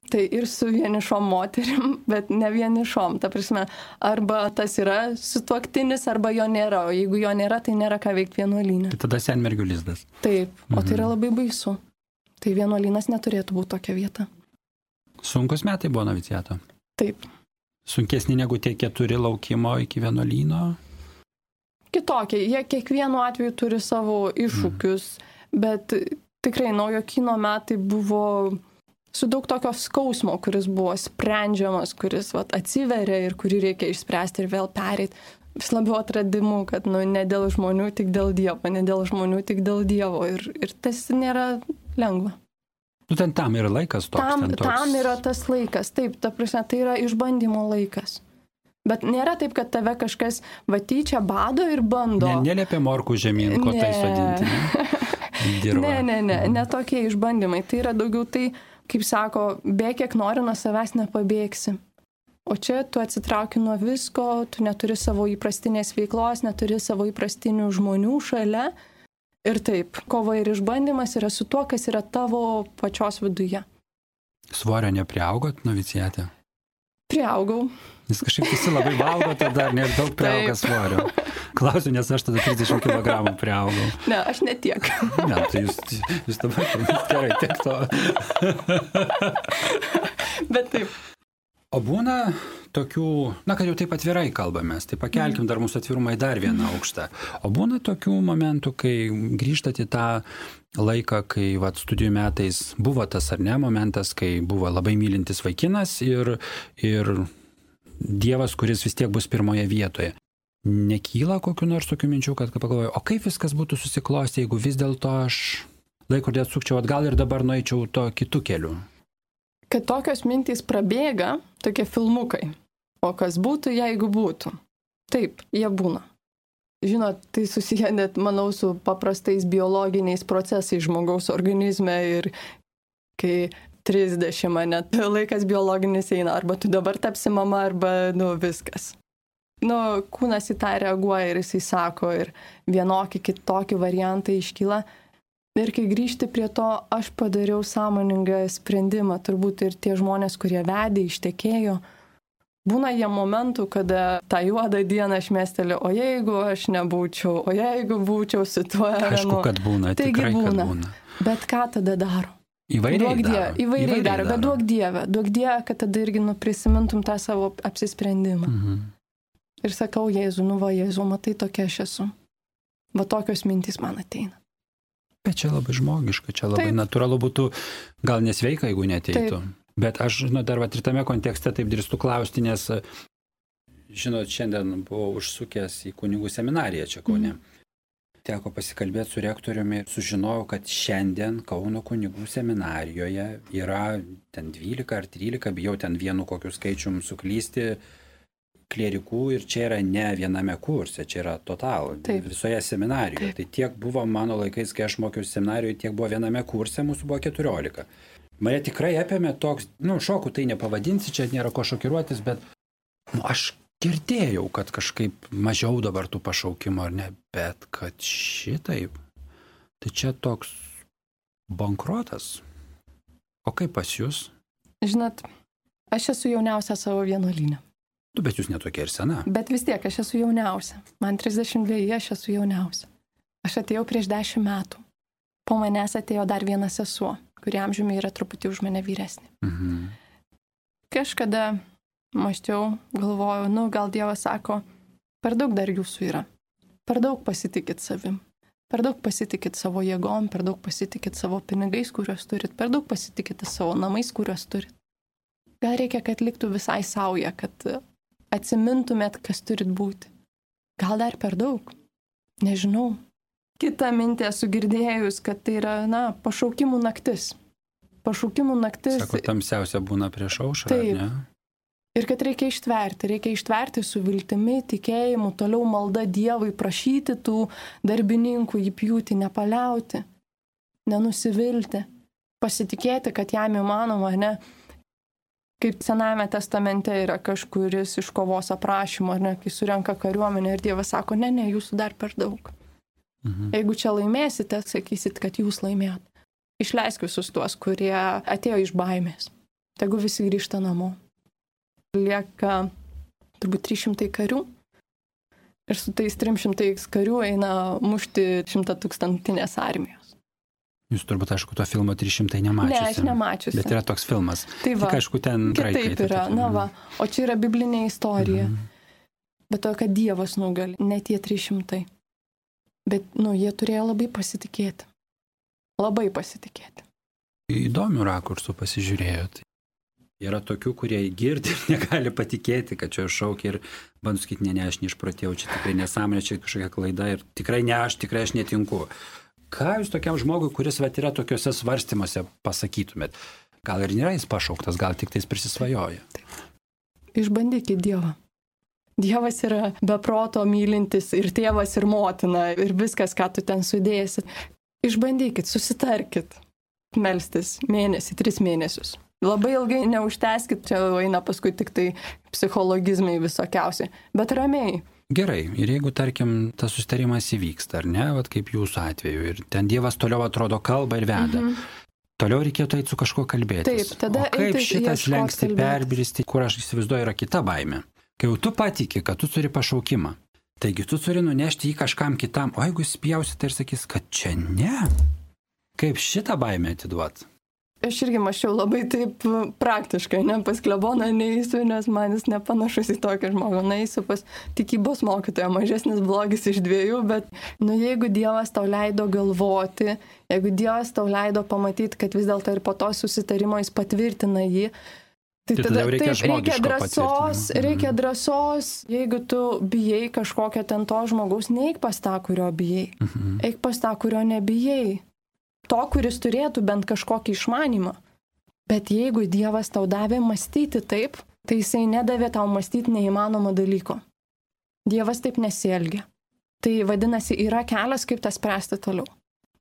Speaker 2: Tai ir su vienišom moterim, bet ne vienišom. Ta prasme, arba tas yra sutuoktinis, arba jo nėra. O jeigu jo nėra, tai nėra ką veikti vienuolyne.
Speaker 1: Tai tada senmergių lizdas.
Speaker 2: Taip, o tai yra labai baisu. Tai vienuolynas neturėtų būti tokia vieta.
Speaker 1: Sunkus metai buvo noviciato?
Speaker 2: Taip.
Speaker 1: Sunkesni negu tie keturi laukimo iki vienuolyno?
Speaker 2: Kitokie. Jie kiekvienu atveju turi savo iššūkius, mm. bet tikrai Naujokyno metai buvo su daug tokio skausmo, kuris buvo sprendžiamas, kuris vat, atsiveria ir kurį reikia išspręsti ir vėl pereiti. Vis labiau atradimu, kad nu, ne dėl žmonių, tik dėl Dievo, ne dėl žmonių, tik dėl Dievo. Ir, ir tas nėra lengva.
Speaker 1: Nu, ten tam yra laikas toks.
Speaker 2: Tam,
Speaker 1: ten toks.
Speaker 2: tam yra tas laikas, taip, ta prasme, tai yra išbandymo laikas. Bet nėra taip, kad tave kažkas vatyčia bado ir bando.
Speaker 1: Ne, neliepia morkų žemyn, ko tai sodinti. Ne? dirba.
Speaker 2: Ne, ne, ne, ne tokie išbandymai. Tai yra daugiau tai, kaip sako, bėk kiek nori, nuo savęs nepabėgsi. O čia tu atsitrauki nuo visko, tu neturi savo įprastinės veiklos, neturi savo įprastinių žmonių šalia. Ir taip, kova ir išbandymas yra su tuo, kas yra tavo pačios viduje.
Speaker 1: Svorio nepriaugot, novicijate?
Speaker 2: Priaugau.
Speaker 1: Nes kažkaip visi labai valgo, tada ir daug priauga svorio. Klausiu, nes aš tada trisdešimt kilogramų priaugau.
Speaker 2: Ne, aš ne tiek.
Speaker 1: Ne, tai jūs, jūs dabar gerai tiek to.
Speaker 2: Bet taip.
Speaker 1: O būna tokių, na, kad jau taip atvirai kalbamės, tai pakelkim dar mūsų atvirumą į dar vieną aukštą. O būna tokių momentų, kai grįžtat į tą laiką, kai vat, studijų metais buvo tas ar ne momentas, kai buvo labai mylintis vaikinas ir, ir Dievas, kuris vis tiek bus pirmoje vietoje. Nekyla kokiu nors tokių minčių, kad pagalvoju, o kaip viskas būtų susiklostę, jeigu vis dėlto aš laikrodį atsukčiau atgal ir dabar nueičiau to kitų kelių?
Speaker 2: Kad tokios mintys prabėga, tokie filmukai. O kas būtų, jeigu būtų? Taip, jie būna. Žinot, tai susiję net, manau, su paprastais biologiniais procesais žmogaus organizme ir kai trisdešimt, net laikas biologinis eina, arba tu dabar tapsi mama, arba, nu, viskas. Nu, kūnas į tą reaguoja ir jisai sako, ir vienokį, kitokį variantą iškyla. Ir kai grįžti prie to, aš padariau sąmoningą sprendimą, turbūt ir tie žmonės, kurie vedė, ištekėjo, būna jie momentų, kada tą juodą dieną aš mesteliu, o jeigu aš nebūčiau, o jeigu būčiau su tuo...
Speaker 1: Aišku, kad būna, tikrai,
Speaker 2: būna.
Speaker 1: kad būna.
Speaker 2: Bet ką tada daro?
Speaker 1: Įvairiai
Speaker 2: duok
Speaker 1: daro.
Speaker 2: Die, įvairiai, įvairiai daro, bet duok Dievę, duok Dievę, kad tada irgi nu, prisimintum tą savo apsisprendimą.
Speaker 1: Mhm.
Speaker 2: Ir sakau, Jėzu, nu va, Jėzu, matai, tokia aš esu. Va tokios mintys man ateina.
Speaker 1: Bet čia labai žmogiška, čia labai
Speaker 2: taip.
Speaker 1: Natūralu būtų, gal nesveika, jeigu neteitų.
Speaker 2: Taip.
Speaker 1: Bet aš, žinot, dar va, ir tame kontekste taip drįstu klausti, nes, žinot, šiandien buvau užsukęs į kunigų seminariją čia Kaune. Mm. Teko pasikalbėti su rektoriumi ir sužinojau, kad šiandien Kauno kunigų seminarijoje yra ten dvylika ar trylika, bijau ten vienu kokiu skaičium suklysti, klierikų ir čia yra ne viename kurse, čia yra total, taip. Visoje seminarijoje. Taip. Tai tiek buvo mano laikais, kai aš mokiausi seminarijoje, tiek buvo viename kurse, mūsų buvo keturiolika. Mane tikrai apėmė toks, nu, šokų tai nepavadinsi, čia nėra ko šokiruotis, bet nu, aš girdėjau, kad kažkaip mažiau dabar tų pašaukimų, ar ne, bet kad šitaip, tai čia toks bankrotas. O kaip pas jūs?
Speaker 2: Žinot, aš esu jauniausia savo vienuolyne.
Speaker 1: Tu, bet jūs netokia ir sena.
Speaker 2: Bet vis tiek, aš esu jauniausia. Man trisdešimt dveji, aš esu jauniausia. Aš atėjau prieš dešimt metų. Po manęs atėjo dar viena sesuo, kuri amžiumi yra truputį už mane vyresnė.
Speaker 1: Mhm.
Speaker 2: Kažkada mąsčiau, galvojau, nu, gal Dievas sako, per daug dar jūsų yra. Per daug pasitikit savim. Per daug pasitikit savo jėgom, per daug pasitikit savo pinigais, kuriuos turit, per daug pasitikit savo namais, kuriuos turit. Gal reikia, kad liktų visai sauja, kad atsimintumėt, kas turit būti. Gal dar per daug? Nežinau. Kita mintį esu girdėjus, kad tai yra, na, pašaukimų naktis. Pašaukimų naktis.
Speaker 1: Sako, tamsiausia būna prieš aušrą,
Speaker 2: taip.
Speaker 1: Ne?
Speaker 2: Ir kad reikia ištverti, reikia ištverti su viltimi, tikėjimu, toliau malda Dievui, prašyti tų darbininkų, jį pjūti, nepaliauti, nenusivilti, pasitikėti, kad jam įmanoma, ne? Kaip Senajame testamente yra kažkuris iš kovos aprašymo, ne, kai surenka kariuomenę ir Dievas sako, ne, ne, jūsų dar per daug. Mhm. Jeigu čia laimėsite, sakysit, kad jūs laimėjot. Išleisk visus tuos, kurie atėjo iš baimės. Tegu visi grįžta namo. Lieka turbūt trys šimtai karių ir su tais trim šimtais karių eina mušti šimtatūkstantinės armijos.
Speaker 1: Jūs turbūt, aišku, to filmo trys šimtai nemačiusi.
Speaker 2: Ne, aš nemačiusi.
Speaker 1: Bet yra toks filmas.
Speaker 2: Tai va,
Speaker 1: tik, aišku, ten graikai.
Speaker 2: Taip yra, na va. O čia yra biblinė istorija.
Speaker 1: Mhm.
Speaker 2: Bet to, kad Dievas nugali, ne tie trys šimtai. Bet, nu, jie turėjo labai pasitikėti. Labai pasitikėti.
Speaker 1: Įdomių rakursų pasižiūrėjot. Yra tokių, kurie girdi ir negali patikėti, kad čia šaukia ir bandau sakyti, ne, ne, aš neišprotėjau, čia tikrai nesąmonė, čia kažkokia klaida ir tikrai ne aš, tikrai aš netinku. Ką jūs tokiam žmogui, kuris vat, yra tokiuose svarstymuose, pasakytumėt? Gal ir nėra jis pašauktas, gal tik tais prisisvajoja?
Speaker 2: Taip. Išbandykit Dievą. Dievas yra beproto mylintis ir tėvas, ir motina, ir viskas, ką tu ten sudėsi. Išbandykit, susitarkit. Melstis mėnesį, tris mėnesius. Labai ilgai neužteskit, čia eina paskui tik tai psichologizmai visokiausi, bet ramiai.
Speaker 1: Gerai, ir jeigu, tarkim, tas susitarimas įvyksta, ar ne, vat kaip jūsų atveju, ir ten Dievas toliau atrodo kalba ir veda, mhm. toliau reikėtų eiti su kažkuo kalbėtis.
Speaker 2: Taip, tada
Speaker 1: o kaip šitas lengsti perbristi, kur aš įsivaizduoju, yra kita baimė. Kai jau tu patiki, kad tu turi pašaukimą, taigi tu turi nunešti jį kažkam kitam, o jeigu jis pjausite ir sakys, kad čia ne, kaip šitą baimę atiduot?
Speaker 2: Aš irgi mačiau labai taip praktiškai, ne pas kleboną neįsiu, nes man jis nepanašus į tokį žmogų. Neįsiu pas tikybos mokytoją, mažesnis blogis iš dviejų, bet nu, jeigu Dievas tau leido galvoti, jeigu Dievas tau leido pamatyti, kad vis dėlto ir po to susitarimo jis patvirtina jį, tai, tai tada reikia, taip, reikia drąsos, reikia drąsos, jeigu tu bijai kažkokio ten to žmogaus, neik pas tą, kurio bijai, mhm. eik pas tą, kurio nebijai. To, kuris turėtų bent kažkokį išmanymą. Bet jeigu Dievas tau davė mąstyti taip, tai jisai nedavė tau mąstyti neįmanomo dalyko. Dievas taip nesielgia. Tai vadinasi, yra kelias, kaip tą spręsti toliau.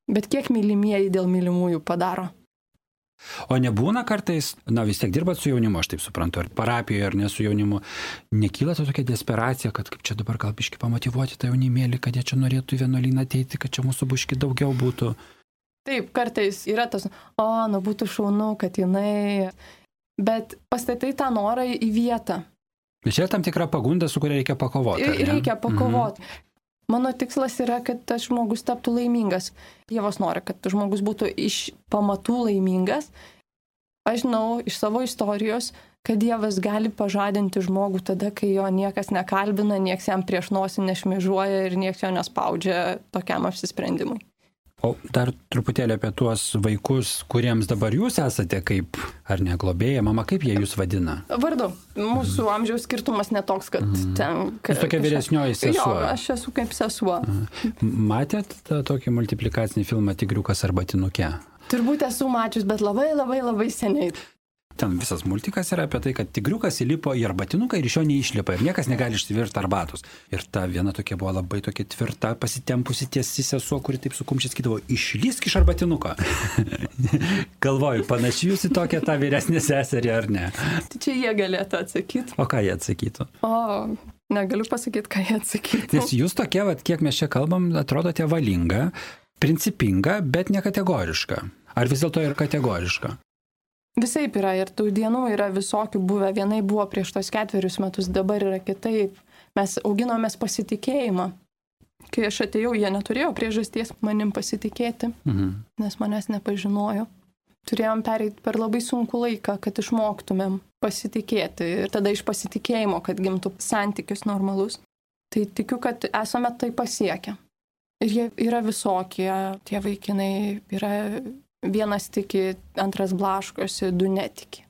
Speaker 2: Bet kiek mylimieji dėl mylimųjų padaro?
Speaker 1: O nebūna kartais, na vis tiek dirbat su jaunimu, aš taip suprantu, ar parapijoje, ar ne su jaunimu, nekyla to tokia desperacija, kad kaip čia dabar gal biški pamotyvuoti tą jaunimėlį, kad jie čia norėtų į vienuolyną ateiti, kad čia mūsų biški daugiau būtų.
Speaker 2: Taip, kartais yra tas, o, nu būtų šaunu, kad jinai, bet pastatai tą norą į vietą.
Speaker 1: Bet čia tam tikra pagunda, su kuria reikia pakovoti.
Speaker 2: Reikia pakovoti. Mhm. Mano tikslas yra, kad tas žmogus taptų laimingas. Dievas nori, kad tas žmogus būtų iš pamatų laimingas. Aš žinau iš savo istorijos, kad Dievas gali pažadinti žmogų tada, kai jo niekas nekalbina, nieks jam prieš nosį nešmėžuoja ir nieks jo nespaudžia tokiam apsisprendimui.
Speaker 1: O dar truputėlį apie tuos vaikus, kuriems dabar jūs esate kaip, ar ne, globėja, mama, kaip jie jūs vadina?
Speaker 2: Vardu. Mūsų mm. amžiaus skirtumas netoks, kad mm. ten...
Speaker 1: Jūs tokia vyresnioji sesuo.
Speaker 2: Jo, aš esu kaip sesuo.
Speaker 1: Mm. Matėt tą tokį multiplikacinį filmą Tigriukas arba Tinukė?
Speaker 2: Turbūt esu mačius, bet labai labai labai seniai.
Speaker 1: Ten visas multikas yra apie tai, kad tigriukas įlipo į arbatinuką ir iš jo neišlipa ir niekas negali išsivirti arbatos. Ir ta viena tokia buvo labai tokia tvirta, pasitempusi tiesi sesuo, kuri taip sukumščiai skydavo, išlysk iš arbatinuko. Galvoju, panašiai jūs į tokią tą vyresnę seserį ar ne?
Speaker 2: Tai čia jie galėtų atsakyti.
Speaker 1: O ką jie atsakytų?
Speaker 2: O, negaliu pasakyti, ką jie atsakytų.
Speaker 1: Nes jūs tokie, vat, kiek mes čia kalbam, atrodote valinga, principinga, bet nekategoriška. Ar vis dėlto ir kategoriška?
Speaker 2: Visaip yra ir tų dienų yra visokių buvę. Vienai buvo prieš tos ketverius metus, dabar yra kitaip. Mes auginomės pasitikėjimą. Kai aš atėjau, jie neturėjo priežasties manim pasitikėti, mhm. nes manęs nepažinojo. Turėjom pereiti per labai sunkų laiką, kad išmoktumėm pasitikėti ir tada iš pasitikėjimo, kad gimtų santykis normalus. Tai tikiu, kad esame tai pasiekę. Ir jie yra visokie, tie vaikinai yra... Vienas tiki, antras blaškosi, du netiki.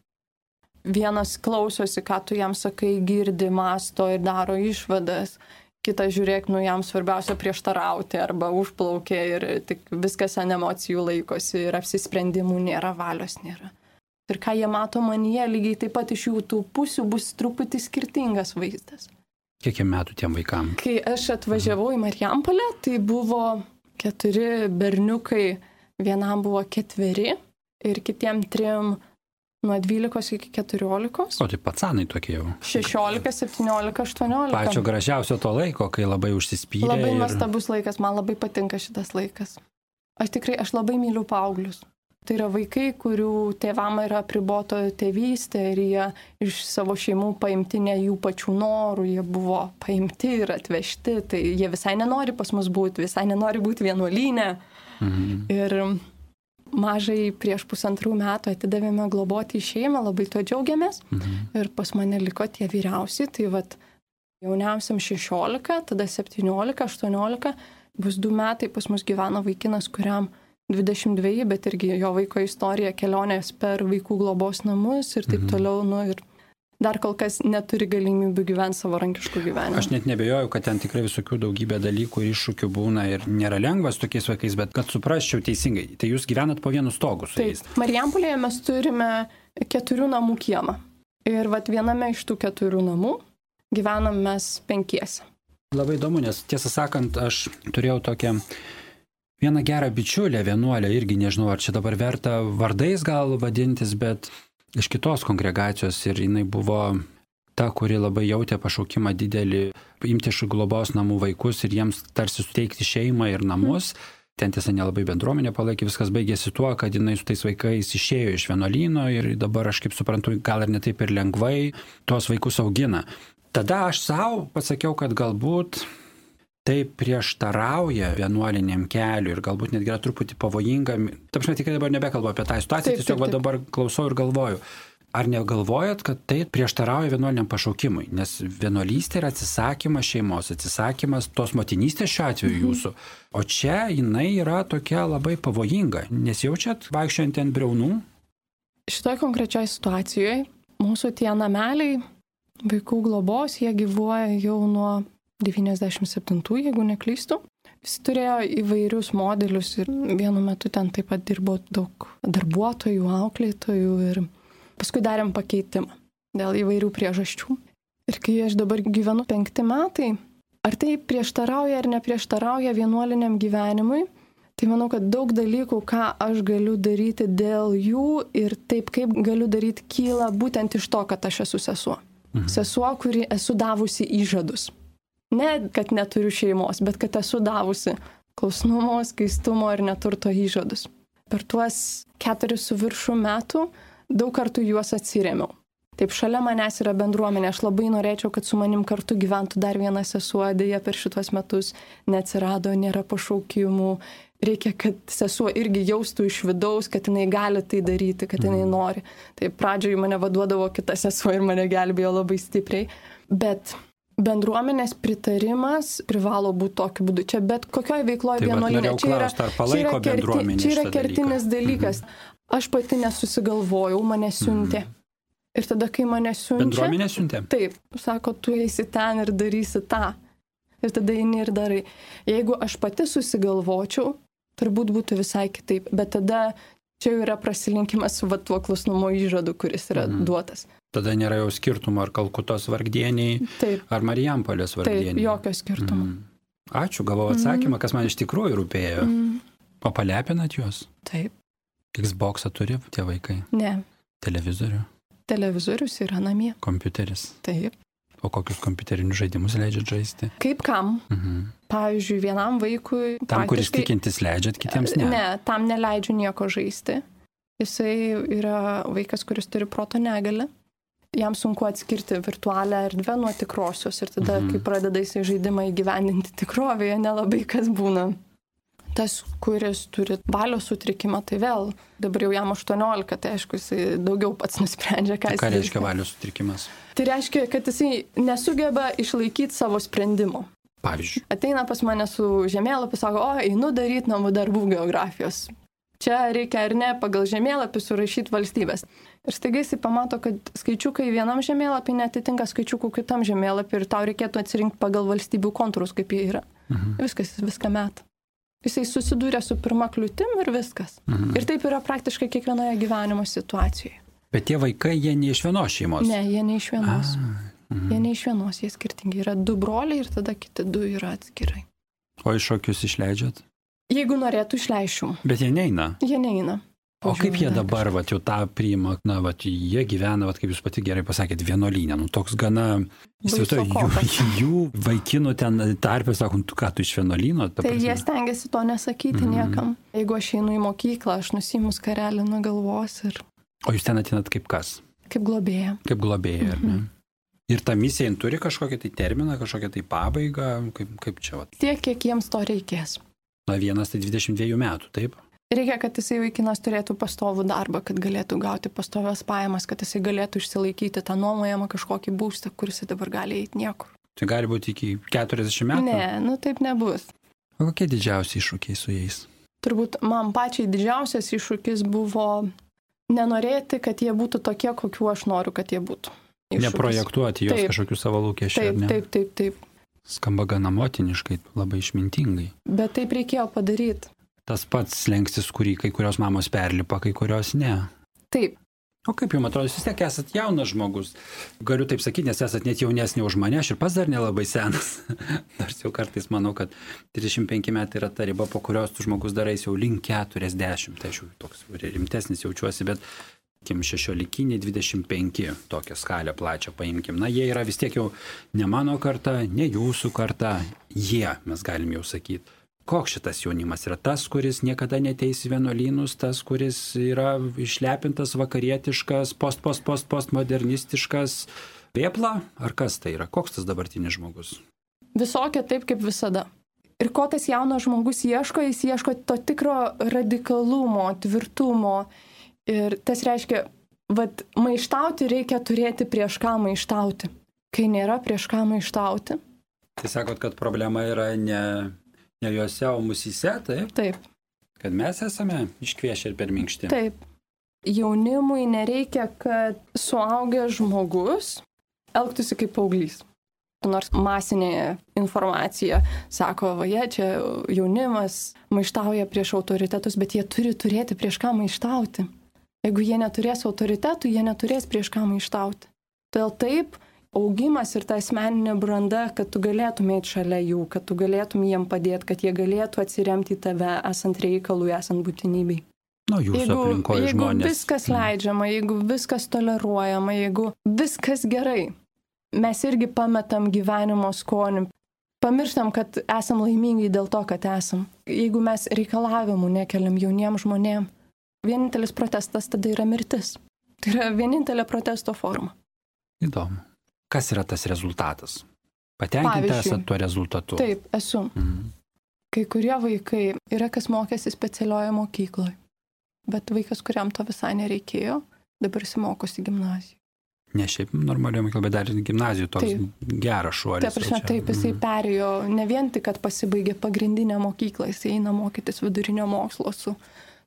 Speaker 2: Vienas klausosi, ką tu jam sakai, girdi, masto ir daro išvadas. Kitas žiūrėk, nu jam svarbiausia prieštarauti arba užplaukė ir tik viskas ant emocijų laikosi ir apsisprendimų nėra, valios nėra. Ir ką jie mato manyje, lygiai taip pat iš jų tų pusių bus truputį skirtingas vaizdas.
Speaker 1: Kiek metų tiem vaikam?
Speaker 2: Kai aš atvažiavau į Marijampolę, tai buvo keturi berniukai. Vienam buvo ketveri ir kitiem trim nuo dvylikos iki keturiolikos.
Speaker 1: O tai pacanai tokie jau.
Speaker 2: šešiolika, septyniolika, aštuoniolika.
Speaker 1: Pačio gražiausio to laiko, kai labai užsispyrė.
Speaker 2: Labai
Speaker 1: ir...
Speaker 2: nuostabus laikas, man labai patinka šitas laikas. Aš tikrai, aš labai myliu paauglius. Tai yra vaikai, kurių tėvam yra apriboto tėvystė ir jie iš savo šeimų paimti ne jų pačių norų, jie buvo paimti ir atvežti, tai jie visai nenori pas mus būti, visai nenori būti vienuolyne. Mhm. Ir mažai prieš pusantrų metų atidavėme globoti į šeimą, labai tuo džiaugiamės. Mhm. Ir pas mane liko tie vyriausi, tai vat jauniausiam šešiolika, tada septyniolika, aštuoniolika, bus du metai pas mus gyveno vaikinas, kuriam dvidešimt dveji, bet irgi jo vaiko istorija, kelionės per vaikų globos namus ir taip mhm. toliau, nu ir dar kol kas neturi galimybių gyventi savarankiškų gyvenimų.
Speaker 1: Aš net nebejoju, kad ten tikrai visokių daugybė dalykų ir iššūkių būna ir nėra lengvas tokiais vaikais, bet kad suprasčiau teisingai, tai jūs gyvenat po vienu stogu su jais.
Speaker 2: Taip, Marijampolėje mes turime keturių namų kiemą. Ir vat viename iš tų keturių namų gyvenam mes penkiese.
Speaker 1: Labai įdomu, nes tiesą sakant, aš turėjau tokią Vieną gerą bičiulę, vienuolę, irgi nežinau, ar čia dabar verta vardais gal vadintis, bet iš kitos kongregacijos ir jinai buvo ta, kuri labai jautė pašaukimą didelį imti iš globos namų vaikus ir jiems tarsi suteikti šeimą ir namus. Mm. Ten tiesa nelabai bendruomenė palaikė, viskas baigėsi tuo, kad jinai su tais vaikais išėjo iš vienuolyno ir dabar aš kaip suprantu, gal ir ne taip ir lengvai tuos vaikus augina. Tada aš savo pasakiau, kad galbūt tai prieštarauja vienuoliniam keliui ir galbūt netgi yra truputį pavojinga. Taip, aš tikrai dabar nebekalbu apie tą situaciją, taip, tiesiog taip, taip. Dabar klausau ir galvoju. Ar negalvojat, kad tai prieštarauja vienuoliniam pašaukimui? Nes vienuolystė yra atsisakymas šeimos, atsisakymas tos motinystės šiuo atveju jūsų. O čia jinai yra tokia labai pavojinga. Nesijaučiat vaikščiant ant briaunų?
Speaker 2: Šitoje konkrečioje situacijoje mūsų tie nameliai vaikų globos, jie gyvuoja jau nuo devyniasdešimt septintų, jeigu neklystu. Jis turėjo įvairius modelius ir vienu metu ten taip pat dirbo daug darbuotojų, auklėtojų ir paskui darėm pakeitimą dėl įvairių priežasčių. Ir kai aš dabar gyvenu penkti metai, ar tai prieštarauja ar neprieštarauja vienuoliniam gyvenimui, tai manau, kad daug dalykų, ką aš galiu daryti dėl jų ir taip kaip galiu daryti, kyla būtent iš to, kad aš esu sesuo. Mhm. Sesuo, kuri esu davusi įžadus. Ne, kad neturiu šeimos, bet kad esu davusi klusnumo, skaistumo ir neturto įžadus. Per tuos keturis su viršų metų daug kartų juos atsirėmiau. Taip, šalia manęs yra bendruomenė. Aš labai norėčiau, kad su manim kartu gyventų dar viena sesuo, dėja per šitos metus neatsirado, nėra pašaukimų. Reikia, kad sesuo irgi jaustų iš vidaus, kad jinai gali tai daryti, kad jinai nori. Tai pradžioje mane vaduodavo kita sesuo ir mane gelbėjo labai stipriai. Bet bendruomenės pritarimas privalo būti tokiu būdu. Čia bet kokioje veikloje vienuolyne. Čia yra, čia yra, kerti, čia yra kertinis dalykas. Mhm. Aš pati nesusigalvojau, mane siuntė. Mhm. Ir tada, kai mane siuntė...
Speaker 1: Bendruomenė siuntė?
Speaker 2: Taip. Sako, tu eisi ten ir darysi tą. Ir tada eini ir darai. Jeigu aš pati susigalvočiau, turbūt būtų visai kitaip. Bet tada čia jau yra prasilinkimas su va, tuo klusnumo įžadu, kuris yra mhm. duotas.
Speaker 1: Tada nėra jau skirtumo ar Kalkutos vargdieniai, taip. Ar Marijampolės vargdieniai.
Speaker 2: Taip, jokio skirtumo.
Speaker 1: Mm. Ačiū, gavau atsakymą, mm. kas man iš tikrųjų rūpėjo. Mm. O palepinat juos?
Speaker 2: Taip.
Speaker 1: Xboxą turi tie vaikai?
Speaker 2: Ne.
Speaker 1: Televizorių?
Speaker 2: Televizorius yra namie.
Speaker 1: Kompiuteris?
Speaker 2: Taip.
Speaker 1: O kokius kompiuterinius žaidimus leidžiat žaisti?
Speaker 2: Kaip kam? Mhm. Pavyzdžiui, vienam vaikui...
Speaker 1: Tam, praktiškai... kuris tikintis leidžiat, kitiems ne?
Speaker 2: Ne, tam neleidžiu nieko žaisti. Jisai yra vaikas, kuris turi proto negalią. Jam sunku atskirti virtualią erdvę nuo tikrosios ir tada, mhm. kai pradeda jisai žaidimą įgyvendinti tikrovėje, nelabai kas būna. Tas, kuris turi valios sutrikimą, tai vėl, dabar jau jam aštuoniolika, tai aišku, jisai daugiau pats nusprendžia, ką jis...
Speaker 1: Ką reiškia valios sutrikimas?
Speaker 2: Tai reiškia, kad jisai nesugeba išlaikyti savo sprendimų.
Speaker 1: Pavyzdžiui.
Speaker 2: Ateina pas mane su žemėlapiu, sako, o, einu daryti namų darbų geografijos. Čia reikia ar ne pagal žemėlapį surašyti valstybės. Ir staiga jisai pamato, kad skaičiukai vienam žemėlapį netitinka skaičiukų kitam žemėlapį ir tau reikėtų atsirinkti pagal valstybių kontūrus, kaip jie yra. Mhm. Viskas, jis viską meta. Jisai susidūrė su pirma kliūtim ir viskas. Mhm. Ir taip yra praktiškai kiekvienoje gyvenimo situacijoje.
Speaker 1: Bet tie vaikai, jie ne iš vienos šeimos?
Speaker 2: Ne, jie ne iš vienos. A, mhm. Jie ne iš vienos, jie skirtingi. Yra du broliai ir tada kiti du yra atskirai.
Speaker 1: O iš šokius išleidžiat?
Speaker 2: Jeigu norėtų, išleiščiau.
Speaker 1: Bet jie neina?
Speaker 2: Jie neina.
Speaker 1: O kaip jie dabar, vat, jau tą priima, na, vat, jie gyvena, vat, kaip jūs pati gerai pasakėt, vienuolyne, nu, toks gana, įsivaizduoju, jų, jų vaikinų ten tarpė, sakom, tu ką, tu iš vienuolyno?
Speaker 2: Tai prasme? Jie stengiasi to nesakyti mm. niekam. Jeigu aš einu į mokyklą, aš nusiimu skarelį nuo galvos ir...
Speaker 1: O jūs ten atinat kaip kas?
Speaker 2: Kaip globėja.
Speaker 1: Kaip globėja, mm-hmm. ar ne? Ir ta misija turi kažkokią tai terminą, kažkokią tai pabaigą, kaip, kaip čia, vat?
Speaker 2: Tiek, kiek jiems to reikės.
Speaker 1: Na, vienas tai dvidešimt dviejų metų, taip?
Speaker 2: Reikia, kad jisai vaikinas turėtų pastovų darbą, kad galėtų gauti pastovias pajamas, kad jisai galėtų išsilaikyti tą nuomojamą kažkokį būstą, kuris dabar gali eiti niekur.
Speaker 1: Tai gali būti iki keturiasdešimt metų?
Speaker 2: Ne, nu taip nebus.
Speaker 1: O kokie didžiausi iššūkiai su jais?
Speaker 2: Turbūt man pačiai didžiausias iššūkis buvo nenorėti, kad jie būtų tokie, kokiu aš noriu, kad jie būtų. Iššūkis.
Speaker 1: Neprojektuoti jos kažkokių savo lūkesčių.
Speaker 2: Taip,
Speaker 1: ne?
Speaker 2: taip, taip, taip.
Speaker 1: Skamba gana motiniškai, labai išmintingai.
Speaker 2: Bet taip reikėjo padaryti.
Speaker 1: Tas pats slengstis, kurį kai kurios mamos perlipa, kai kurios ne.
Speaker 2: Taip.
Speaker 1: O kaip jums atrodo, jūs vis tiek esat jaunas žmogus. Galiu taip sakyti, nes esat net jaunesnė už mane, aš ir pats dar nelabai senas. Nors jau kartais manau, kad trisdešimt penki metai yra ta riba, po kurios tu žmogus darais jau link keturiasdešimt. Tai aš jau toks rimtesnis jaučiuosi, bet kim šešiolikiniai, dvidešimt penki tokią skalę plačią paimkim. Na, jie yra vis tiek jau ne mano karta, ne jūsų karta, jie, mes galim jau sakyti. Koks šitas jaunimas yra tas, kuris niekada neteis į vienuolynus, tas, kuris yra išlepintas, vakarietiškas, post, post, post, postmodernistiškas, vėpla, ar kas tai yra? Koks tas dabartinis žmogus?
Speaker 2: Visokia taip kaip visada. Ir ko tas jaunas žmogus ieško, jis ieško to tikro radikalumo, tvirtumo. Ir tas reiškia, vat, maištauti reikia turėti prieš ką maištauti. Kai nėra prieš ką maištauti.
Speaker 1: Tai sakot, kad problema yra ne... Ne juose, o musyse, taip?
Speaker 2: Taip.
Speaker 1: Kad mes esame iškviešę ir per minkšti.
Speaker 2: Taip. Jaunimui nereikia, kad suaugęs žmogus elgtųsi kaip paauglys. Nors masinė informacija sako, va jie čia jaunimas maištauja prieš autoritetus, bet jie turi turėti prieš ką maištauti. Jeigu jie neturės autoritetų, jie neturės prieš ką maištauti. Todėl taip, augimas ir ta asmeninė branda, kad tu galėtum eiti šalia jų, kad tu galėtum jiem padėti, kad jie galėtų atsiremti į tave, esant reikalui, esant būtinybei.
Speaker 1: Nu, jūsų
Speaker 2: jeigu,
Speaker 1: aplinkoje
Speaker 2: jeigu
Speaker 1: žmonės.
Speaker 2: Jeigu viskas leidžiama, jeigu viskas toleruojama, jeigu viskas gerai, mes irgi pametam gyvenimo skonį, pamirštam, kad esam laimingi dėl to, kad esam. Jeigu mes reikalavimų nekeliam jauniem žmonėm, vienintelis protestas tada yra mirtis. Tai yra vienintelė protesto forma.
Speaker 1: Įdomu. Kas yra tas rezultatas? Patenkinti esat tuo rezultatu?
Speaker 2: Taip, esu. Mhm. Kai kurie vaikai yra, kas mokėsi specialioje mokykloje, bet vaikas, kuriam to visai nereikėjo, dabar įsimokosi gimnazijoje.
Speaker 1: Ne šiaip normalioje mokykloje, bet dar ir gimnazijoje toks taip. Geras šuolis.
Speaker 2: Taip, prasme, taip, jisai mhm. perėjo ne vien tik, kad pasibaigė pagrindinę mokyklą, jisai eina mokytis vidurinio mokslo su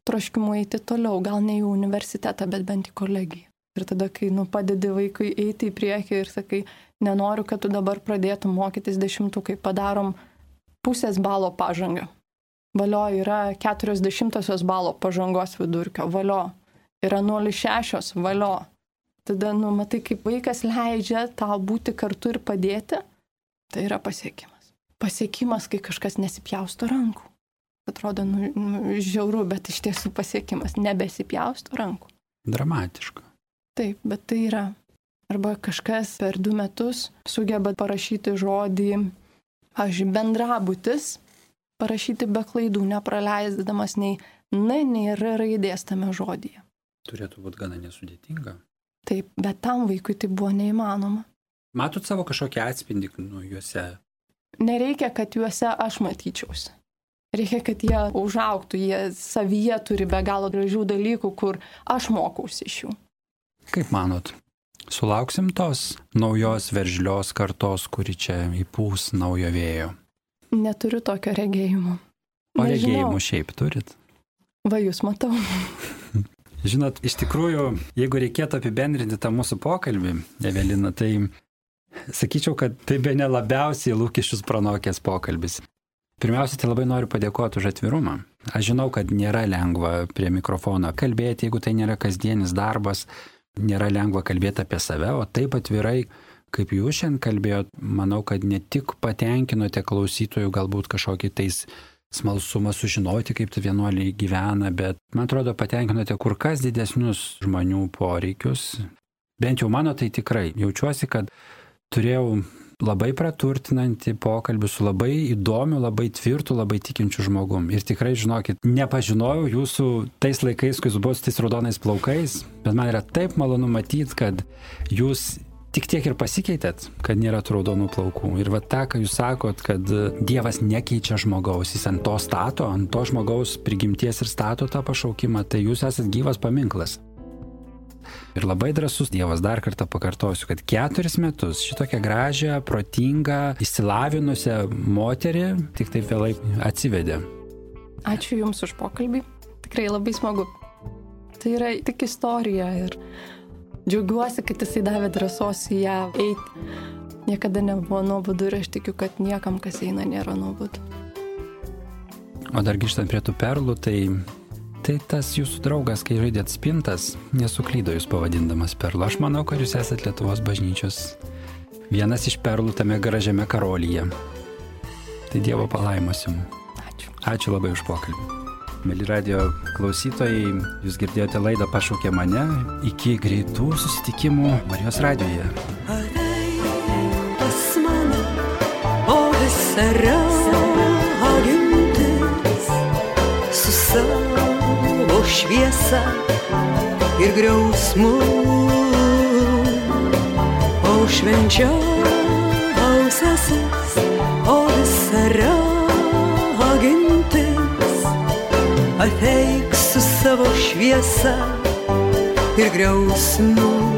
Speaker 2: troškimu eiti toliau, gal ne į universitetą, bet bent į kolegiją. Ir tada, kai nu, padedi vaikui eiti į priekį ir sakai, nenoriu, kad tu dabar pradėtum mokytis dešimtukai, padarom pusės balo pažangą. Valio yra keturios dešimtosios balo pažangos vidurkio, valio yra nulis šešios, valio. Tada, nu, matai, kaip vaikas leidžia tau būti kartu ir padėti, tai yra pasiekimas. Pasiekimas, kai kažkas nesipjausto rankų. Atrodo, nu, nu, žiauru, bet iš tiesų pasiekimas, nebesipjausto rankų.
Speaker 1: Dramatiška.
Speaker 2: Taip, bet tai yra. Arba kažkas per du metus sugeba parašyti žodį, pavyzdžiui, bendrabutis, parašyti be klaidų, nepraleisdamas nei N, nei R raidės tame žodyje.
Speaker 1: Turėtų būti gana nesudėtinga.
Speaker 2: Taip, bet tam vaikui tai buvo neįmanoma.
Speaker 1: Matot savo kažkokį atspindį nu, juose?
Speaker 2: Nereikia, kad juose aš matyčiausi. Reikia, kad jie užaugtų, jie savyje turi be galo gražių dalykų, kur aš mokausi iš jų.
Speaker 1: Kaip manot, sulauksim tos naujos veržlios kartos, kuri čia įpūs naujo vėjo?
Speaker 2: Neturiu tokio regėjimo.
Speaker 1: O regėjimų šiaip turit?
Speaker 2: Va, jūs matau.
Speaker 1: Žinot, iš tikrųjų, jeigu reikėtų apibendrinti tą mūsų pokalbį, Evelina, tai sakyčiau, kad tai bene labiausiai lūkesčius pranokęs pokalbis. Pirmiausia, tai labai noriu padėkoti už atvirumą. Aš žinau, kad nėra lengva prie mikrofono kalbėti, jeigu tai nėra kasdienis darbas, nėra lengva kalbėti apie save, o taip atvirai, kaip jūs šiandien kalbėjot, manau, kad ne tik patenkinote klausytojų galbūt kažkokį tais smalsumą sužinoti, kaip tai vienuoliai gyvena, bet man atrodo patenkinote kur kas didesnius žmonių poreikius. Bent jau mano tai tikrai. Jaučiuosi, kad turėjau labai praturtinantį pokalbį su labai įdomiu, labai tvirtu, labai tikinčiu žmogum. Ir tikrai, žinokit, nepažinojau jūsų tais laikais, kai jūs buvote su tais raudonais plaukais, bet man yra taip malonu matyti, kad jūs tik tiek ir pasikeitėt, kad nėra tų raudonų plaukų. Ir va tą, ką jūs sakot, kad Dievas nekeičia žmogaus, jis ant to stato, ant to žmogaus prigimties ir stato tą pašaukimą, tai jūs esat gyvas paminklas. Ir labai drąsus Dievas, dar kartą pakartosiu, kad keturis metus šitokią gražią, protingą, išsilavinusią moterį tik taip vėlai atsivedė.
Speaker 2: Ačiū Jums už pokalbį. Tikrai labai smagu. Tai yra tik istorija ir džiaugiuosi, kad Jisai davė drąsos į ją eiti. Niekada nebuvo nuobodu ir aš tikiu, kad niekam, kas eina, nėra nuobodu.
Speaker 1: O dar grįžtant prie tų perlų, tai Tai tas jūsų draugas, kai žaidėt spintas, nesuklydo jūs pavadindamas perlu. Aš manau, kad jūs esat Lietuvos bažnyčios vienas iš perlų tame gražiame karolyje. Tai Dievo palaimos jums.
Speaker 2: Ačiū.
Speaker 1: Ačiū labai už pokalbį. Mėly radio klausytojai, jūs girdėjote laidą Pašaukė mane. Iki greitų susitikimų Marijos radijoje.
Speaker 3: Ateik pas mane, o visa ragintis su savo šviesa ir griausmu, o švenčiausiasis, o visa ragintis, ateik su savo šviesa ir griausmu.